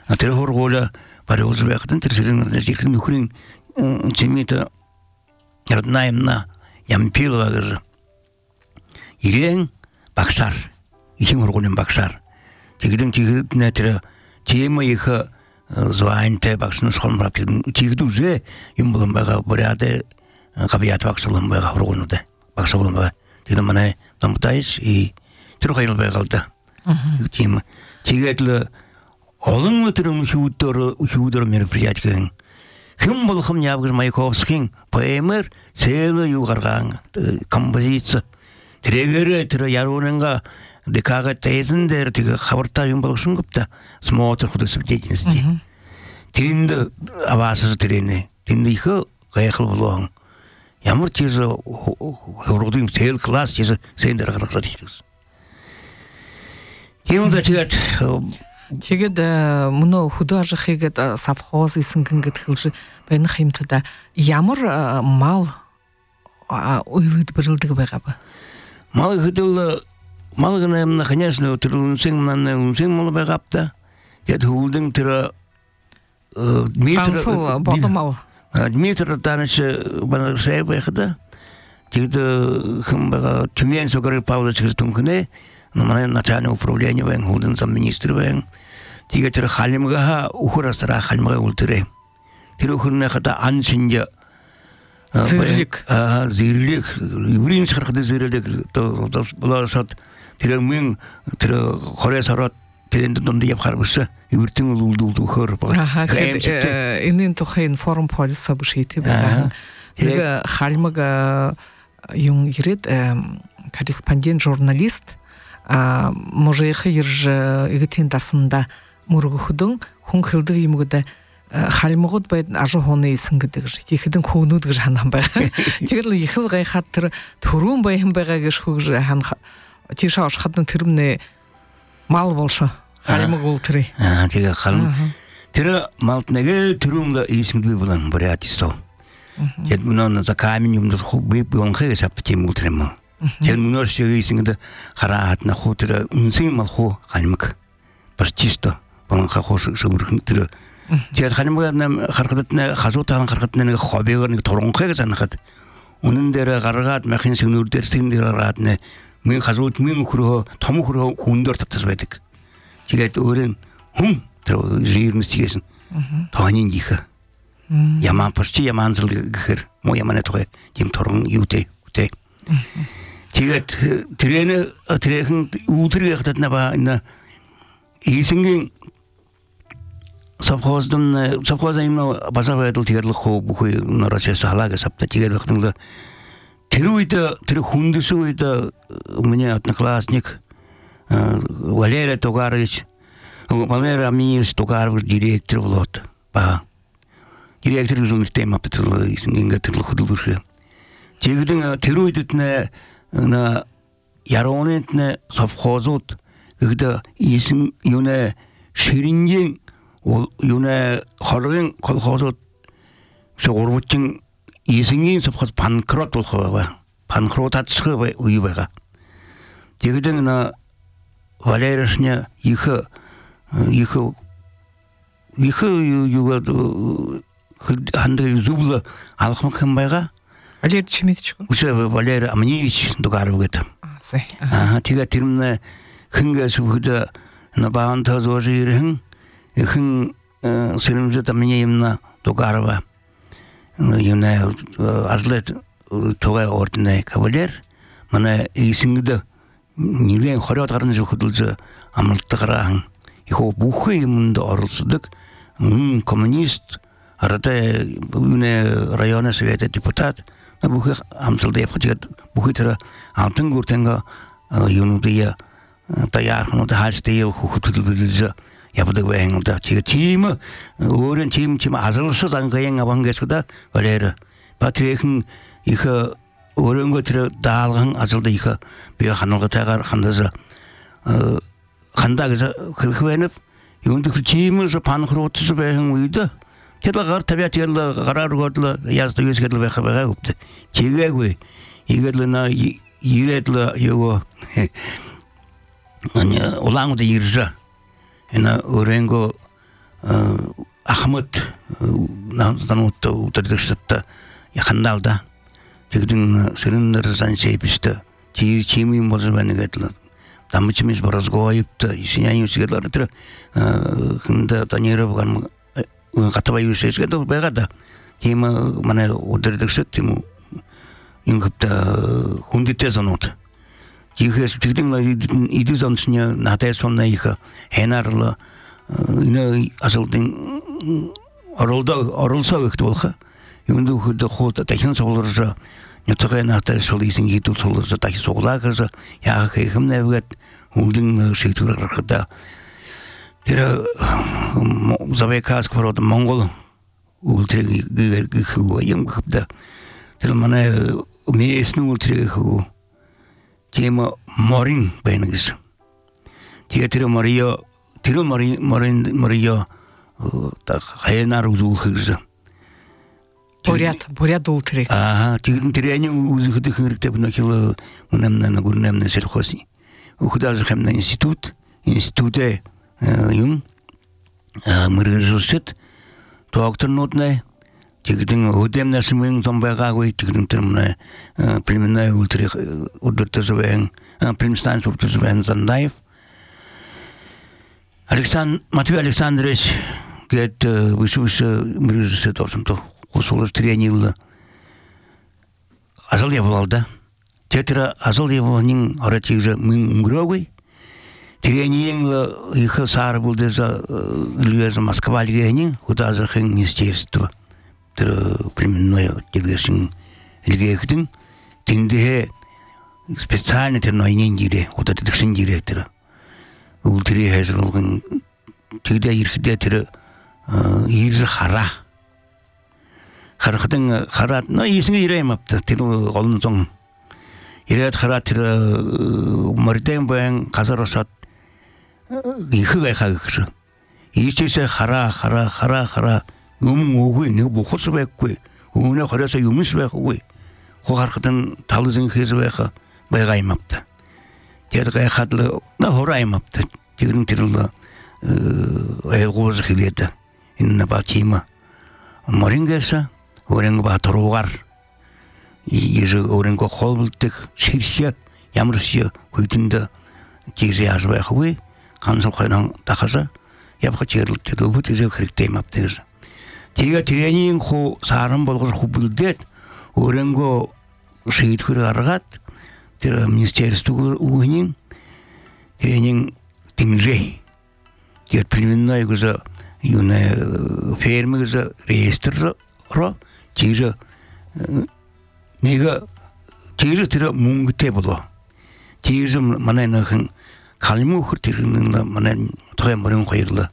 아 тэр 얼굴을 바르고 같은 뜻은 지금 그런 재미도 ярднаемна ямпилова 그래서 이행 박살 이행 얼굴은 박살 지금 내들 제모 이거 званте баксын схолмрап тигдүзе юм болон бага буряде кабият баксылын бага ургунуде баксылын бага тиде мана тамтайс и трохайл багалда тим тигетле олон өтрөм хүүдөр мероприятиен ким болгом ябгыз Маяковскийн поэмер целый югарган композиция трегере тре яроненга декага тезендер тиге хабарта юм болгоsun гыпта смотр худосып деятельности тинде авасыз трене тинде их гайхыл болгон ямар тиже ургудым цел класс тиже сендер гаргат дийсиз тимда тэгээд мөн художник хийгээд совхоз исэнгэн гэтгэлж байна хэмтда ямар мал уйлд бэрэлдэг байгаа ба мал хэдэл малгана конечно трунсин мал байгапта яд хулдын тэр метр бодомал метр таныш бана сайбайхда тэгээд хэмбага Тюмень согры Павлович тункне номер начальник управления вен хулдын замминистр вен тэгээд тэр халимга ухрастра халимга ултре тэр ухрны хата аншинжа зирлик еврейн шархады зирлик то булашат тэр мен тэр хоресарат тэрэнд донд яв харбыша евртин улдулду хөр ба энэн тухайн форум полиса бушити байна тэр халимга юм ирээд корреспондент журналист можех ирж игтин дасында мургухдун хүн хилдэг юмгда халимгууд байд ажихууны исэн гэдэг шиг ихэдэн хөөнүүд гэж ханан байгаа. Тэгэл ихэл гайхад тэр төрүүн баян байгаа гэж хөгж хан тийш ашхадны тэрмнэ мал болшо халимг бол тэр. Тэгээ халим тэр малт нэгэ төрүүн исэн би болон бурятисто. Яд мөн за камень юм хубби бон хэс аптим утрэм. Яд мөн шиг исэн хараат на хутэр үнсэн мал ху халимг барчисто бон хахош шүрхэн тэр тэгээд ханимгана хархадна хазуутаан хархадна нэг хоббигэр нэг туранхыг занахад үнэн дээр гаргаад махин сэгнүр дээр тэн дээр гаргаад мен хазуут мен хөрөө том хөрөө хүндээр татсан байдаг. Тэгээд өөрийн хүн тэр жирмстигсэн тооны их яман почти яман зэл гэхэр мо яман тоо тийм туран юутэй үтэй. Тэгээд тэрхэн үүтрийг хатадна ба энэ ийсэнгийн совхоза именно базавэдэл тэгээд хөө бүхий норочээс халаага сапта тэгээд багтанг тэр үед тэр хүндэс үед миний одноклассник Валерий Тугарович Валерий Аминевич Тугарович директор болот ба директор үзүүлэх тема батал ингээд тэр хөдөлгөөрхөө тэгээд тэр үед на яронент совхозууд гэдэг исэн юунэ ширингийн юуне хоргийн колхозууд шуурвчин иесингийн совхоз банкрот болох байгаа. Банкрот татсах үе байгаа. Тэгдэн на Валеришня их юугаад ханд зүүл алхмах юм байгаа. Валерий Чемитичко. Уже Валерий Амниевич Дугаровгет. Тига термне хынгасу худа на баанта зожирхын хын сырымжы тамнеемна Дугарова. Юна азлет тогай орденный кавалер. Мана исингда нилен хорот гарнжы худулжы амылтыграхан. Ихо бухы имында орылсыдык. Коммунист арада юне района совета депутат. Бухы амсылды япхатигат бухы тера алтын гуртенга юнудия таярхну да хальстейл хутулбилжа япыдык вэнгылда. Тига тима орен тим азылсы зангаяң абангесуда Валера. Патрехин иха оренго тера даалган азылды иха бия ханалга тагар хандаза хандагыза кылхвенеп юндык тима жа панхротсы бэхэн уйда. Тедлгар табиат yerle karar gördüler yazdı yüzgedle bekabega guptu. Çiğegü igerlena yiredle yogo hani ulangu da yirja. Ena orengo Ahmet nanutta utardışta yakandalda. Tegdin serinlerden şeypiste. Çiğimi mozu beni getli. Damıçımız biraz goyuptu. İsinya yüzgedler tira hında tanıyra bakan Катабай үсеске да байгада. Тема мана одердексе тему ингипта хундите занот. Тихес тигдин иди занчня натай сонна иха хенарла ина асылдын оролса өктө болха. Юнду худда хота тахин соглоржа. Нетоген натай солисин гитул соглоржа тахи соглакыржа. Я хемне вет хундин шейтурархада. Тера Забайкаск ворот Монгол ультреги гыхуаем гыпда. Тера мана местный ультреги ху. Тема Морин бенгис. Тера Мария так хайнар узулхыза. Бурят ультреги. Тиряни узухды хырктеп нахила унамна гурнамна сельхози. Ухудажы хэмна институте юм мырыжылсет доктор нотне тигдин өдем нәрсемен томбайга кой тигдин термне племенная ультри удыртызбен племстан суртызбен Зандаев Матвей Александрович гет вышуша мырыжылсет осымто кусулы тренилла азал явалда тетра азал явалнин аратигже мин грогой Тренинг их сар был за Илья Москва Львени, куда за министерство, племенное тягашин Ильгехтин, тинде специально тернойнин дире, куда ты тахшин директора. Ултри хезрулган, тигда ирхдетера ирж хара. Харахтын харат, но исинге ирем апта, тиру олнтон. Ирет харат мартен бен казаросат 이흐가 가그서 이제서 하라 오고 네 보고서 뵙고 오늘 거래서 유미스 뵙고 호가르든 달르진 해서 뵙고 내가 임합다 제가 하들 나 호라 임합다 지금 들을라 에고즈 길이다 있는 바티마 머링게서 오랭고 바토로갈 이제 오랭고 홀불득 실시야 야무르시야 그든다 기지야서 뵙고 간섭하는 다가서 옆에 제를 때도 부티저 그렇게 맙대서 제가 트레이닝 후 사람 보고 후불데 오rengo 시트를 알아갔 저 министерство 우님 트레이닝 팀제 제 племенная 그저 юная фермер자 реестр 제저 내가 제저 들어 뭉게 보다 제저 만에는 kalmu hurtirinin mana toy morin koyurla.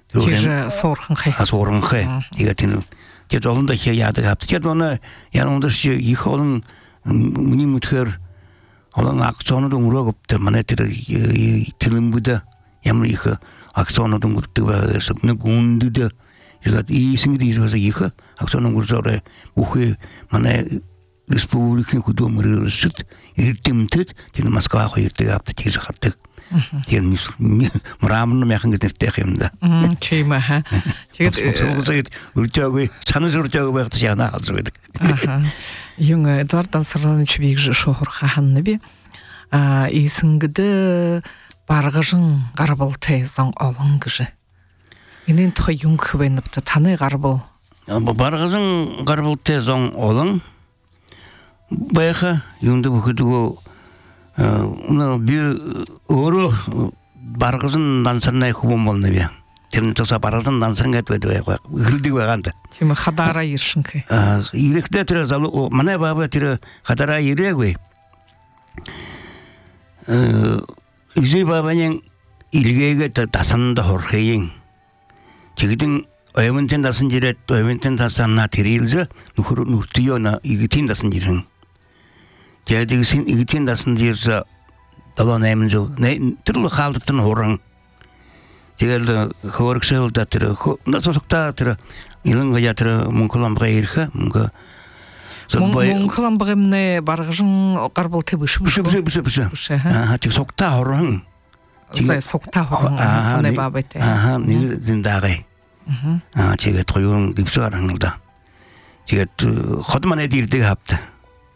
Tije sorğun xey. Sorğun xey. Digatin. Ket olunda ki yadı yaptı. Ket ona yanında şu yıkılın muni muther olan aksiyonu da uğrayıp mana tilim buda yamlı yıkı aksiyonu da uğrayıp ve sabne gundu da Жигат и сингди за иха, актона гурзаре ухе мана республикин кудом рылшит иртимтет тин Москва хойрте апта тиз хартык. Тин мрамны мяхан гетертехимда. Чейма ха. Тигет уртагы чаны уртагы багты жана алжыбыдык. Юң Эдуард Ансарланович бигже шохор хаханны би. Исингде баргыжын гарбал тайзан алын гыжы. Инен тхы юң хвенипті таны гарбал. Баргыжын гарбал тайзан алын. Байха юңды бүкідігі bir oru bargızın dansırnay kubum bolny be. Terni tosa bargızın dansırın etmedi be. Gırdı baganda. Timi xadara yirşinki. Yürekde tire zalı mana baba tire xadara yirek be. Üzü babanın ilgege tasında horxeyin. Çigidin oyamınten dasın jiret, oyamınten tasana tirilse nurtuyona igitin dasın jirin. Jadi sin igitin dasın jirse dalon emjul ne türlü haldatın horan. Jadi horxel da tire na sokta tire ilin gayatır munkulam gayrha munka. Munkulam bagımne bargıjın qarbal tebiş. Bışı. Ha tik sokta horan. Zay sokta horan ne babete. Aha ne zindagı. Ha çege toyun gipsuarangılda. Çege xodman edirdi haptı.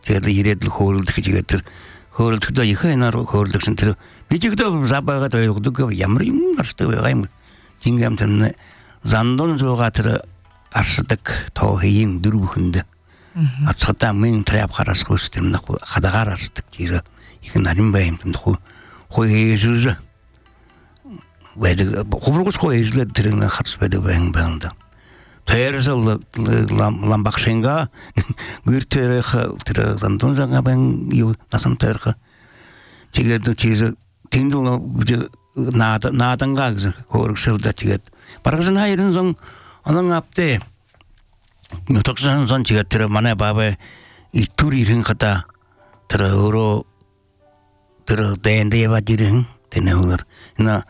Çege yiredli xorulduk çegetir. Xoruldukda yıkaynar xorulduksun tire. Biçikde zabaga toyulduk yamrıyım karşıda bayım. Cingem zandon zogatırı arsıdık tohiyin durbukunda. Atçıda men trap qaras qo'stimni xadagar arsdik jiri. Ikinarim bayimdim qo'yizildi. Vaydi qo'burg'us qo'yizildi tiringni xarsbedi bayimda. Tayarsil lambaqshenga gürtere tira zandon zanga ben yu nasam terqa. Tiged tiz tindil nadanga qo'rqsildi tiged. Bargızın hayırın son onun apte Notoksan son chiga tira mana baba ituri ring kata tira oro tira dende va diring tene ular na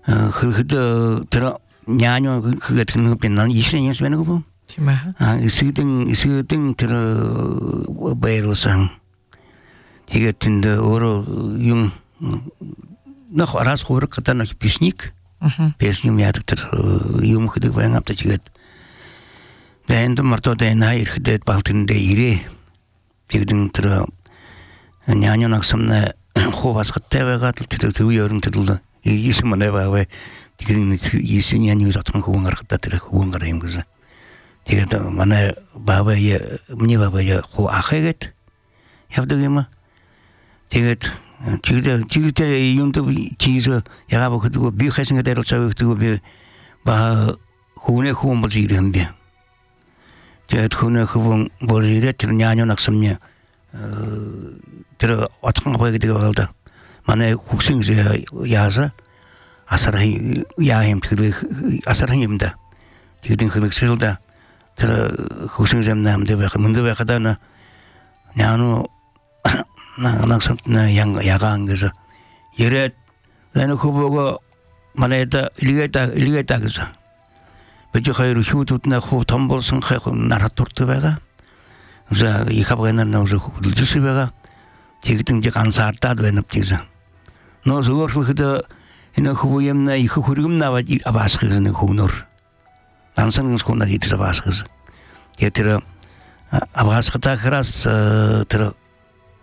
khida tira nyanyo khigat khin penan isne yes bena ko Chima isiting tira bayrosan chiga tinde oro yung na ras khor kata na pisnik pesnim yadik tira yung khidik bayang apta chigat Dende marto dende hayır hidet baltinde iri. Tigdin tira nyanyon aksamna xovas qitte ve gatl tira tuyorun tırıldı. İyisi mana ve tigdin iyisi nyanyon zatın xovungar qitta tira xovungar emgiza. Tigda mana baba ya mni baba ya xo axiget. Yapdığıma. Tigda yundu çizi yaga bakıdı bir xesinge deril çavıktı bir ba xone xom buljirim bir. Jadi khuna khubung bolire tir nyanyo naksamnya tir atang apa gitu kalda mana kuksing yaza asarhi yahim tir asarhi imda tigdin khuluk silda tir kuksing zamnam de bak mundu bakadana nyano naksamna yang yagang gitu yeret lalu khubugo mana eta iligeta gitu Bıcı hayır hudutuna khu tombolsun khu naraturtu bega. Uza ikabagana na uza khuduljusi bega. Tigtin je kansarta dvenip tiza. No zugorlukda ina khubuyemna ikhurgumna va abaskhizne khunur. Dansan khuna yitiza abaschiz. Yetira abaskhta kras tira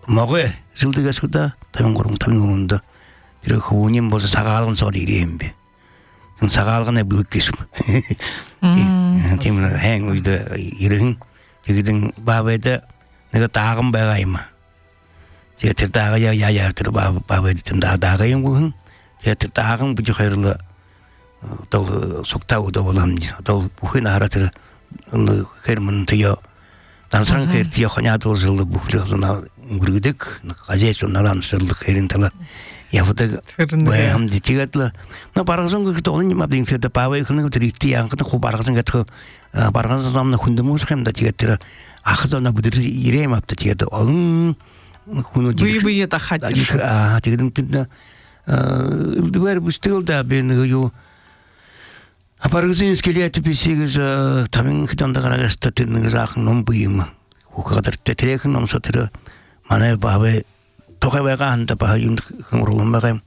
moge zildiga skuda tamin tira khubunim bolsa sagalın sori irembe. Sagalgana bülkesum. Timna hang uyda irin. Tigidin babada nega tağım bagayma. Jeter tağı ya tır babada tim dağayım bugün. Jeter tağım bu hayırlı dol sokta uda bolan. Dol bugün aratır. Herman tiyo. Dansan her tiyo khanya dol zıldı buhluna gurguduk. Qajesun alan zıldı herin talar. Yapıda bayam ditigatla. Na bargızın ki tolun ma bin fiyata pavay khılın trikti yankıda khu bargızın gatı bargızın namna khundumuz hem da tigatira. Axda na budur irem apta tigata. Alın khunu Bu ya da xatış. Tigadım tinda ildiver bu stil da ben yo bargızın iskeleti pisigiz tamin khitanda qaragasta tinniz axın nom buyum. Khu kadar tetrekin nom sotira. Mana babe Toka bega anda pa yun kumrulum bagam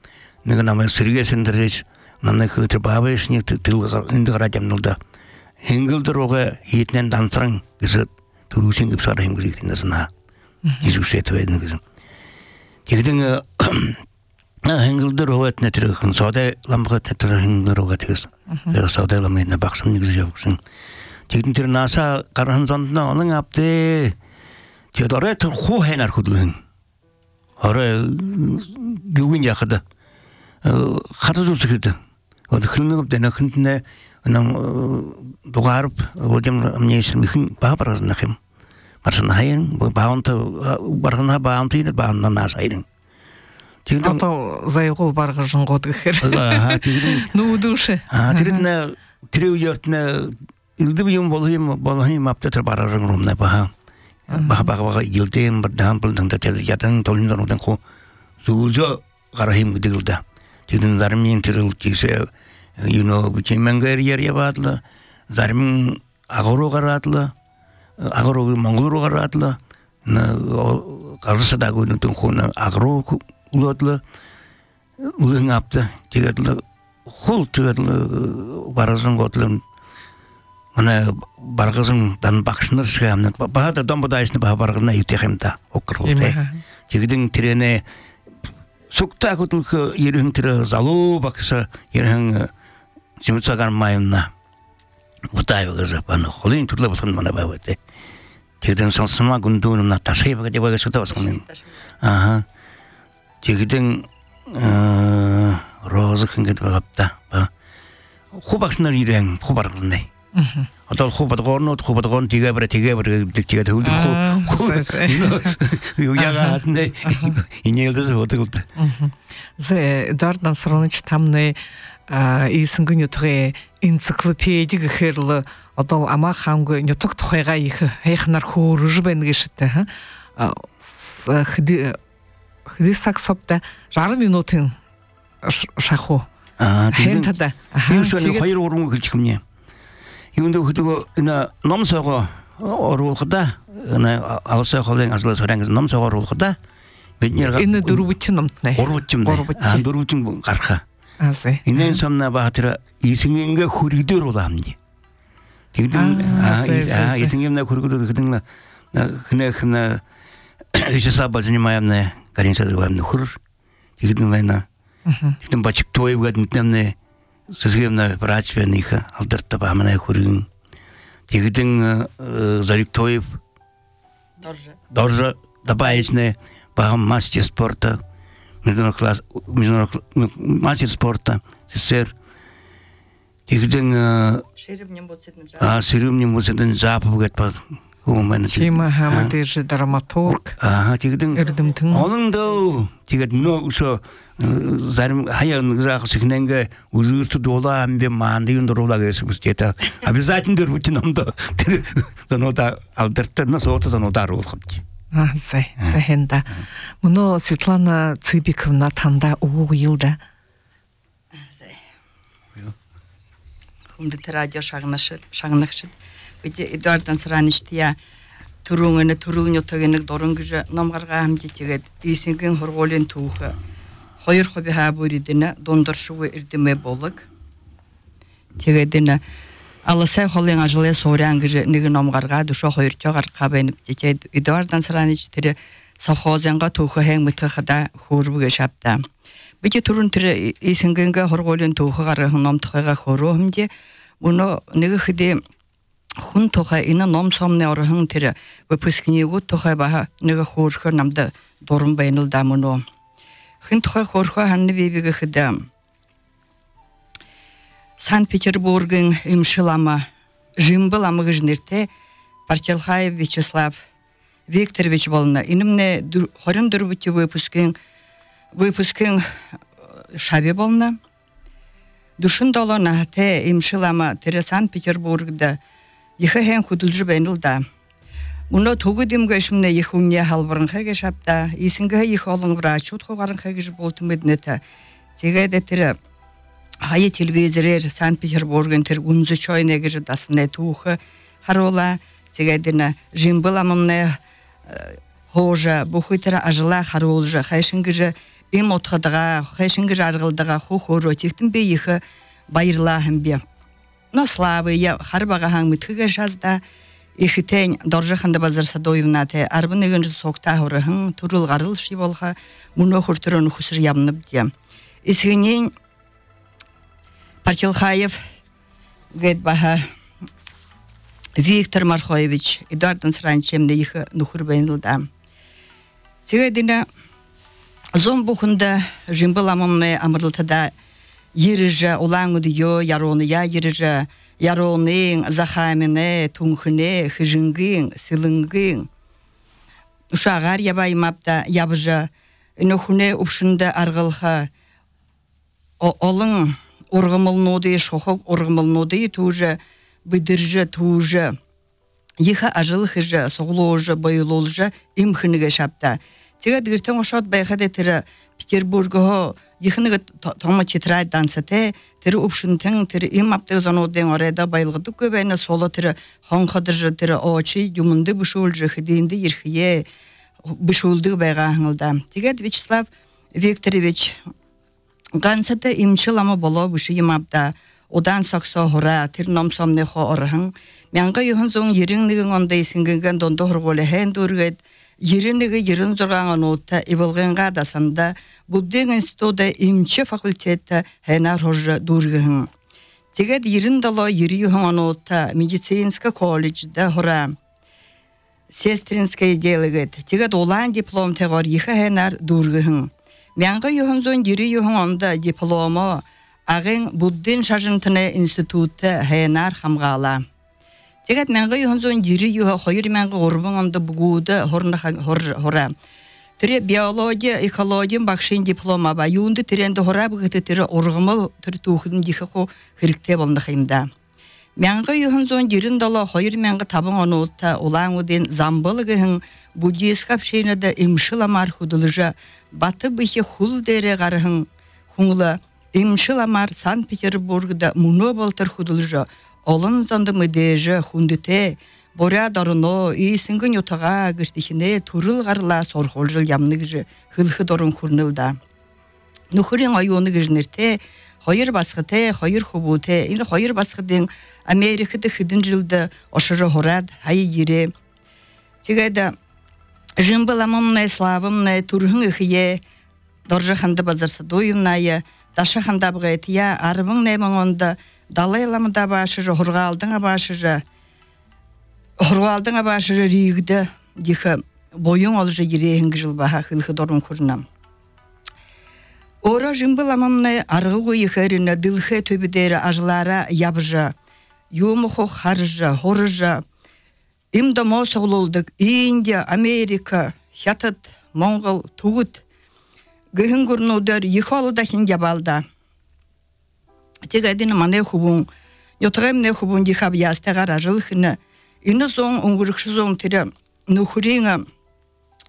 nega nama sirge senderes namna khutr babesh ni til inda garajam nulda hingil droga hitnen dansrang is 들으신 급 사람 그리 된다서나 이주세 되는 거죠. 이거는 행글대로 했네 들어 소대 람가 들어 행글대로 같아서 내가 소대 람에 박선 이거 무슨 지금 들어 나사 가는 전나 어느 앞에 저더래 더 호해나 거든 어래 누군 약하다 하루도 그랬다 어디 흘는 없대나 근데 그냥 도가르 어디면 мне 있으면 큰 바바라서 나hem 맞아 나인 뭐 바운트 바르나 바운트는 바운나 나사이는 지금 또 자이골 баргажын годгер. Ну душе. 들으나 들으였나 일도 좀 болхим аптатар баражын ромна 바가 일대인 버담불 등다 야당 돌린다는 거 zuljo гарахим гдилда. 지금 자르민 들을 기세 비체망가리야 바틀 자르민 아고로 가라틀 아고로 몽골로 가라틀 나 가르사다고 있는 돈 아고로 울었을 울응압다 제가들 홀트를 바라선 것들은 mana bargazın dan bakışınır şayamın bahada dombodaysını bahargına yutehemda okkurulde. Jigidin trene sukta kutulku yerhin tire zalu baksa yerhin jimutsagan mayımna butayıgızı bana holin tutla bulsun bana babete. Jigidin sansıma gündüğünümna taşıyı bakacak bakacak suda basın. Aha. Jigidin rozı kınget bakapta. Hubakşınlar yerhin hubargında. 어떨 호바드건 뒤가 버려 뒤가 들고 요야가 한데 이녀들도 어떻게 제 дардан сроныч тамны исингүн ютгэ энциклопедик хэрлэ одоо ама ханг нюток тухайга их хайхнар хөөрж байна гэштэй хэди саксопта 60 минутын шаху хэнтада 유수는 хоёр урам гэлчих юм. 이분도 그거 나 넘서고 어루고다 나 알서 холен ажлаа сорангс 넘서고 어루고다 биднэр энэ дөрвөчн номтнаа орвчим дөрвөчн гарха аасэ инэн самна баатра исингээ хүргдэр уламни тэгдэн исингэмна хүргдэр тэгдэн хнэ ишса базнимаямна каринсад вамны хур тэгдэн байна тэгдэн бачик тоевгад нэмнэ сызгемна врачвениха алдарта бамана хүргэн тэгдэн зариктоев доржа добавичне ба мастер спорта международный мастер спорта СССР тэгдэн ширэмнем боцэдэн запов гэтпа Human Тима Хамадыж драматург. Тэгдэн олондоо тэгээд нөөсө зарим хаян грахсхнэнгэ үлүүрт дулаа амбе маандын дурулаа гэсэн бүсчээта обязательно дөрвүч номдоо тэр зоноода алдартна соото зоноода аруулахч. Сайхэнда. Мөнөө Светлана Цыбиковна танда уг йылда. Хүмдэт радио шагнагч Бид Эдуардан Сараничтия түрүүнэ төрүүлнөтөгнэг дуран гэж номгаргаа хамжитгээд ийсэнгийн хургуулын түүх 2% хаабүридэнэ дундоршгүй эрдэмэ болог. Тэгээд энэ алсай холын ажлын сууран гэж нэг номгаргаа дөшөө 2 гаргаа байна. Тэгээд Эдуардан Саранич тэр совхозынга түүх хэн мэтхада хөөрвөг шапта. Бид түрүүн тэр ийсэнгийн хургуулын түүх гаргах номтойгоо хөрөө хэмжээ өнөө нэг хэдий хүн тухай энэ ном сомны орхон тэр выпускнигүүд тухай ба нэг хөөрхөр намд дуран байна л да мөн. Хүн тухай хөөрхөө ханны бибиг гэхэд Санкт-Петербургийн имшилама Жимбал ама гэж нэртэй Парчалхаев Вячеслав Викторович болно. Инэмнэ 24-т выпускын шаби болно. Душин долона тэ имшилама тэр Санкт-Петербургда Ихэн хөдөлж байна л да. Өнөө төгөдимгөө шимнэ их үнэ халбаранхай гэж шапта. Исэнгээ их олон врачууд хугаранхай гэж болтмэднэт. Тэгээд тэр хаяа телевизээр Санкт-Петербургийн тэр үнзөчойнэ гэж дасны түүх харуула. Тэгээд энэ Жимбаламны хожа бүхэтэр ажлаа харуулж хайшин гэж им утгадагаа хайшин гэж аргалдагаа хөөхөрөө тэгтэн би их баярлаа хэмбэ. Но славы я харбага хаң мэтхэгэ шазда ихитен доржаханда базар садоевнате арбын эгенж сокта хорахын турул гарыл шиволха муно хуртурон хусыр ямнып дия. Исгенен Парчилхаев говорит баха Виктор Мархоевич Эдуардын сранчемде их нухур бенилда. Сегедина зомбухунда жимбаламамне амырлтада ережа улаңудио ярония ережа яронын захамине тунхне хижингин силингин ушагар ябай мапта ябжа нохуне упшында аргылха олың ургымылнуды шохок ургымылнуды туже бидирже туже иха ажылхыжа соглоожа бойлолжа имхниге шапта тегет гиртен ошот байхаде тире Петербургго ихнеге тома тетрадь дансате тире упшынтен тире имапты заноден орайда байлгыды көбөйне соло тире хонхадыржы тире очи юмунды бушулжы хидинди ирхие бушулды байга хыңылда тегет Вячеслав Викторович гансате имчилама боло бушу имапта одан саксо хора тир номсомне хо орхын мянга юхын зон еринниген ондай сингенген дондо хорголе хэн дургет еринниге ерин зорган нота ибылгынга дасанда Будден институтда имче факультетта хэнар хожа дургын тегет ерин дало ери юхын нота медицинска колледжда хора сестринское делегет тегет олан диплом тегор иха хэнар дургын мянга юхын зон ери юхын онда дипломо агын Будден шажынтыны институтта хэнар хамгала тегет мянга юхын зон ери юха хойыр мянга орбын онда бугуда хора тире биология экология бакшин диплома ба юнды тиренде хора быгыты тире оргымыл тир тухудун дихо хирикте болду хайымда мянга юхын зон ерин дала хойыр мянга табын онута улаңуден замбылыгын буддист капшенада имшиламар худулжа баты бихе хул дере гарыгын хуңла имшиламар Санкт-Петербургда муно болтыр худулжа олон зонды мыдеже хундите боря дарыно исингин ютага гыштихине турул гарла сорхолжыл ямныгжы хылхы дорун курнылда нухурин айоны гыжнерте хойыр басхыте хойыр хубуте ин хойыр басхыдын Америкада хидин жылда ошожо хорад хай ире тегеда жимбаламамне славамне турхын ихие доржаханда базар садоевная дашаханда бгетия арбын немонда далайламда башыжы хургалдың башыжы ригде диха боюн олжы ерехинг жылбаха хылхы дорун курнам ора жимбаламамне аргылгы ихерине дылхе төбүдері ажлара ябжа юмухо харжа хоржа имда мосоглолдык Индия Америка хятад Монгол тугут гыхын курнудар ихолда хингябалда тегадин мане хубун йотремне хубун дихаб ястагара жылхыны ино сон унгурыкшызон тире нухуринга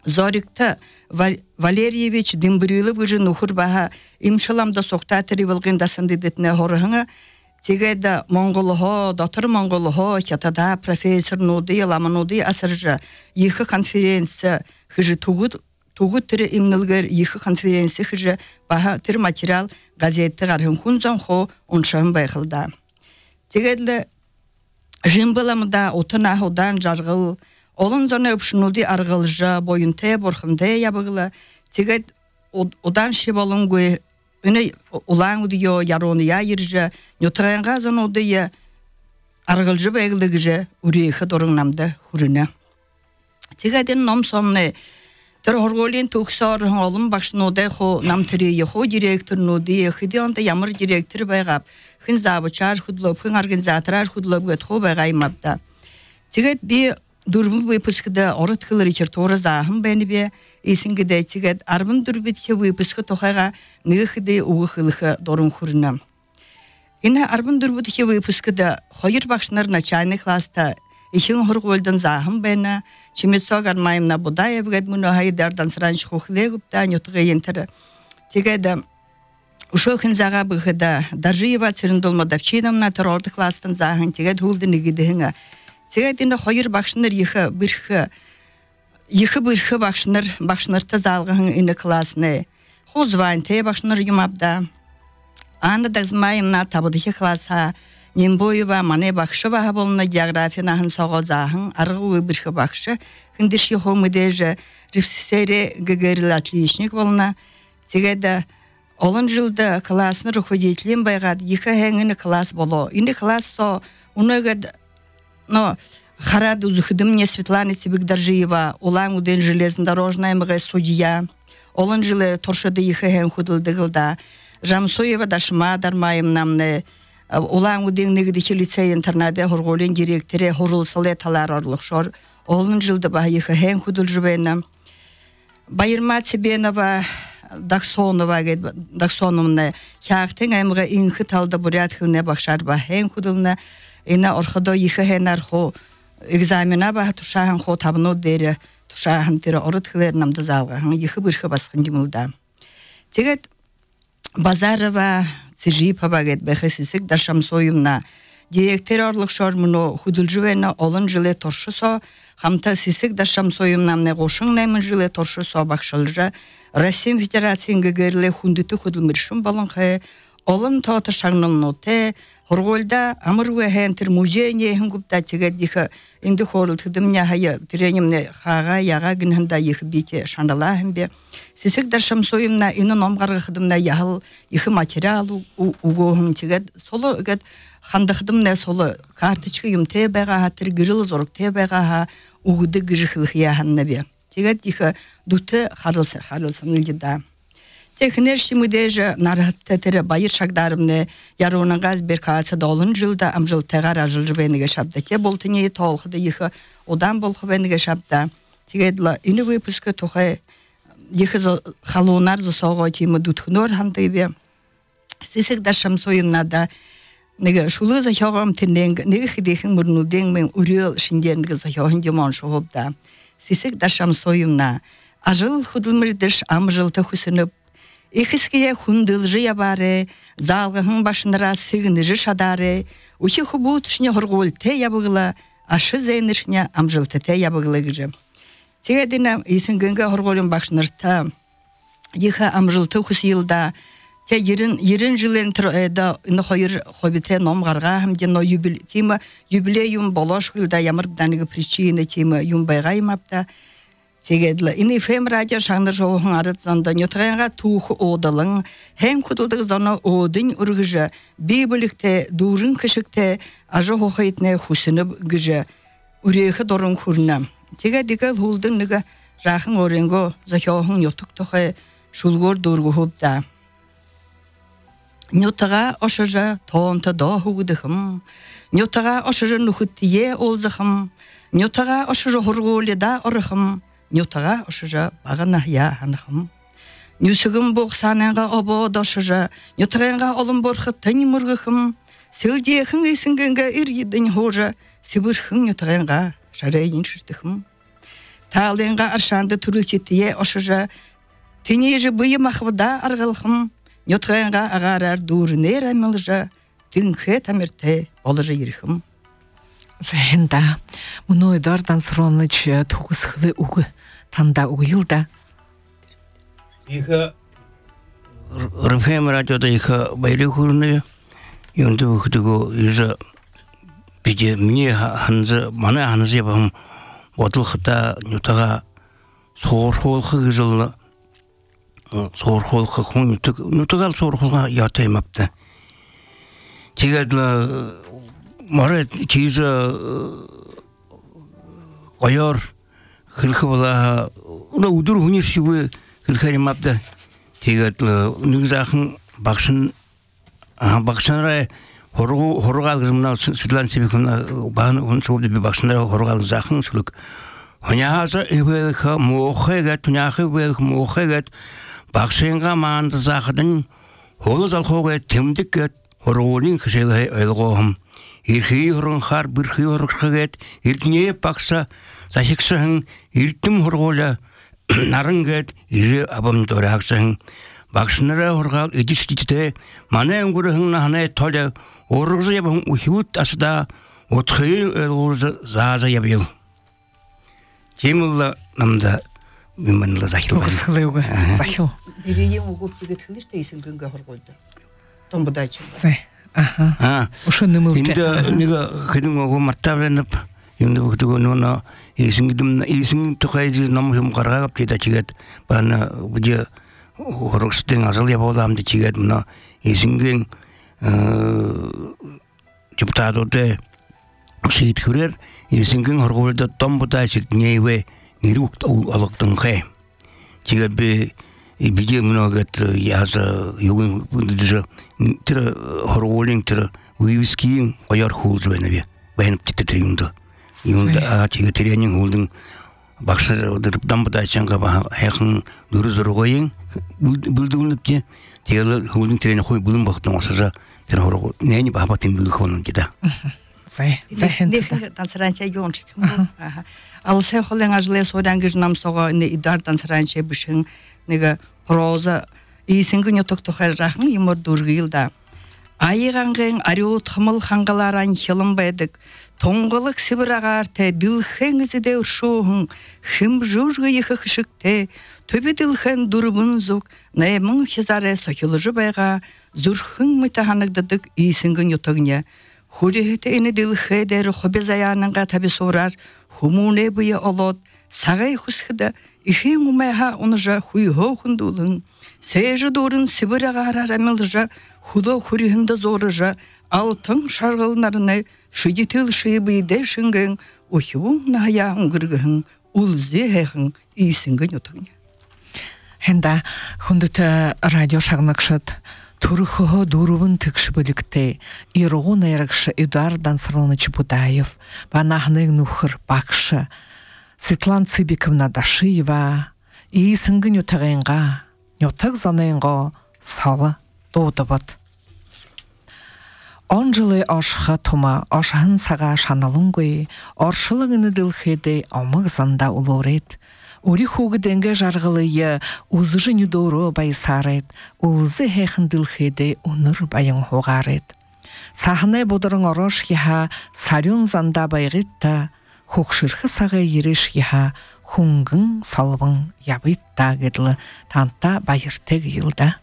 Зорикта Валерьевич Дымбрилов уже нухур баха имшаламда соктатыри вылгындасын дедетне хорыгына тегеда монголхо дотор монголхо хятада профессор нуды ламануды асыржа ихы конференция хыжы тугут тире имнылгер ихы конференция хыжы баха тир материал газетте гархын хунзан хо оншан байхылда тегедле жимбаламда отына ходан жаргыл олон зона өпшнуди аргылжа боюнте борхынде ябыгыла тегет одан шибалынгы үне улаңудио ярония иржа нютранга зонодия аргылжы байгылыгыжа урехы дорыңнамда хурына тегеден номсомне тер хорголин туксар олым башнуде хо намтри хо директор нуди хидионда ямар директор байгап хин забычар худлоп хин организаторар худлоп гет хо байгаймапта тегет би Дурму выпускда орыткылы речертора захым бенебе исингеде тигет арбын дурбитке выпуска тохайга ныхыды угылыхы дорун хурна. Ина арбын дурбитке выпускда хойыр башнар начальный класста ихин хорголдан захым бена чимetsогар майымна будаев гет муно хайдардан сранч хохлегупта нютга ентер тигеда ушохин зага быхда даржиева цирндолмада вчинамна терорды класстан захын тигет хулдыны гидыгынга Сегединде хойыр бакшнар ихы бирхы бакшнарта залгын ине классны. Хозванте бакшнар юмабда. Анда дагзмайымна табыдыхи класса Нембоева мане бакшыва болна географияны сагазахын аргы бирхе бакшы хиндиш йохомыдеже рефсере гегерил отличник болна тегеда олон жылда классны руководителем байгад екі хәңгіні класс боло инде класс со унегад но харад узыхдым мне Светлана Цибикдаржиева улан уден железнодорожная мге судья олон жылы торшыды екі хәң худылдыгылда Жамсоева дашма дармайым намны улан уден негдихи лицей интернате хорголен директоре хорулсылы талар орлықшор олон жылда ба екі хәң худылжыбена Байырма Цибенова Даксоновна хяхтен аймга инхи талда бурятхывне бакшар ба хен кудылна ина орходо екі хенар хо экзамена ба тушахан хо табно дере тушахан тере орытхылер намды залга екі бирхе басқын димылда тегет Базарова Цижипова гет бехесисик Даршамсоевна директор орлық шормуно худылжывена олон жылы торшысо хамта сисик Даршамсоевна мне гошын наймын жылы торшысо бакшылжа Россия Федерациясының герле хундыты худылмыршым баланхэ олон тоты шагнылноте хорголда амыргы хентер музейне хингупта тегедиха инде хорул тыдымня хая тренемне хага яга гинханда их бите шандала хембе сисик Даршамсоевна ины номгарга хыдымна яхыл их материал угоһын тегед соло гет хандыхдымне соло карточка юмте бага хатыр гырыл зорук те бага ха угуды гыжыхлых яханнабе тегет диха дуте харылсын илгида технерши мудеже нараттетере байыр шагдарымне яронагаз беркаца долын жылда амжыл тегар ажылжы бениге шапта те болтыне толхыды иха одан болхы бениге шапта тегедла ини выпуска тухай иха халонар засого тима дутхнор хандыбе сисик Даршамсоевна да неге шулы захогам теннен неге хидехин мурнуден мен урел шинденге захогын демон шогобда сисик Даршамсоевна ажыл худылмырдыш амжылты хусынып Ихиские хундылжы ябаре, залгахын башынара сыгыныжы шадаре, ухи хубутышне хоргол те ябыгыла, ашы зейнышне амжылты те ябыгыла гыжы. Тегедіне исінгінгі хорголын башынырта, иха амжылты хус йылда, те ерін жылын тұрайда үні хойыр хобите номғарға хамден юбилеюм болош йылда ямырбданыгы причины тема юмбайға имапта, Тегедла ини фем радио шаңды жоғын арыт зонда нютағанға тух одалың, хем кудылдық зона одын үргіжі, бейбілікте, дұрын кішікте, ажы хоқайтне хусынып гіжі, үрейхі дорын күріна. Тегедігі ғулдың níгі жақын оренго захиоғын йотық тұқы шулгор дұрғы хубда. Нютаға ошыжы тоғынты доғығыдықым, нютаға ошыжы нүхіттие олзықым, нютаға ошыжы хорғолы да орықым, Нютаға ошыжа бағана я ханахым. Нюсігім боқсананға обо дошыжа, нютағанға олым борқы тәні мұрғықым, сілдейхің есінгенге ір-едін хожа, сібірхің нютағанға шарайын шыртықым. Талденға аршанды түрілтетіе ошыжа, тенежі бұйы мақвыда арғылқым, нютағанға ағарар дұрынер әмілжа, тіңхе тамерте олыжа еріхім. Зәхінда, мұны Эдуардан Сыроныч туғысқылы уғы танда уғылда. Иха РФМ радиода иха байры көріні, енді өкідігі езі біде мне ханзы, мана ханзы ебағым бодылқыта нютаға соғырқолқы кізілі, соғырқолқы құн нютағал соғырқолға ятаймапты. Тегеділі Морет тиза қойор хилхы бала уна удур хунишигы хилхари мапта тегет нүгзахын бақшынра хорғал гызмна Светлана Цибиковна баған он соғды бі бақшынра хорғал захын сүлік хуняхаза эвелха моохегет хуняхы эвелха моохегет бақшынға маанды захыдын холы залхоғет темдікет хорғолин кішелі ойлғоғым Ирхи хорон хар бирхи хоргет иртне пакса захиксахын иртим хоргола нарынгет ире абам дораксахын бакшнара хоргал эдистите мана өнгөрхөн нахнай толе оргыз ябын ухиут асда отхи элгуз зааза ябил Темилла намда миманла захил захил Иреем угуп тигет хилиште исингенге хорголда Томбудачы Ошо нымыл. Инде нега хедин ого мартабленеп инде бутуго нона исиң тухайды намхым карагап теда чигет бана буҗа хоростен азал ябалам ди чигет мына исиңген депутатоте шит хүрер исиңген хорголда томбута чиртнейве нирүк алыктын хэ чигет бе биде многот яса югын бундыжа тир хорголин тир уйвискин кояр хулжбенебе бенеп титриңдо юнда чигет тренинг холдың бакшыр дырыптан бутачанга хакын дурузургойын булдугунупче тегел холдың тренинг хой булын бактың осажа тир хоргол нени бабатын булхонун кида Танцранча юнчит. Алсе холен ажле сорангыж намсога не идар танцранча бишин нега проза исингин йотоктохар жахын юмор дургылда. Айганген ариот хмыл хангаларан хилым байдык. Тоңгылык сибирагар те дилхеңизе де уршуһун хим жужгы йыхышыкте төбе дилхэн дурбун зук наймын хизаре сохилыжы байга зурхын мытаханыгдык исингин йотогня. Хурихте ини дилхэ дер хобезаянанга таби сорар хумуне буя олот сагай хусхда ихи мумайха онжа хуйхо хундулын Сейжі дорын сибирагар арамылжа худо хурихында зорыжа алтын шарғылнарыны шидетел шейбейде шынген охивун ная ұңгыргығын улзе хэхын исінген отығын. Хенда хундыта радио шагнакшат Турхо дурувын тыкшбылыкте иргун эргш Эдуард Дансроныч Будаев, банахның нухыр бакшы, Светлана Цыбиковна Дашиева, и сыңгын утағынға, нютық заныңға салы доудыбыд. 10 жылы ашха тума, ашхын саға шаналыңгой, аршылығыны дылхеде амық занда улорет. Ури хуғы денге жарғылые узжы нүдору байсарет, улзы хэхын дылхеде уныр байын хоғарет. Сахынай бодырың орош еха сарюн занда байгитта, хукшырхы сағы ереш еха хунгын салбын ябытта гедлі танта байыртег елда.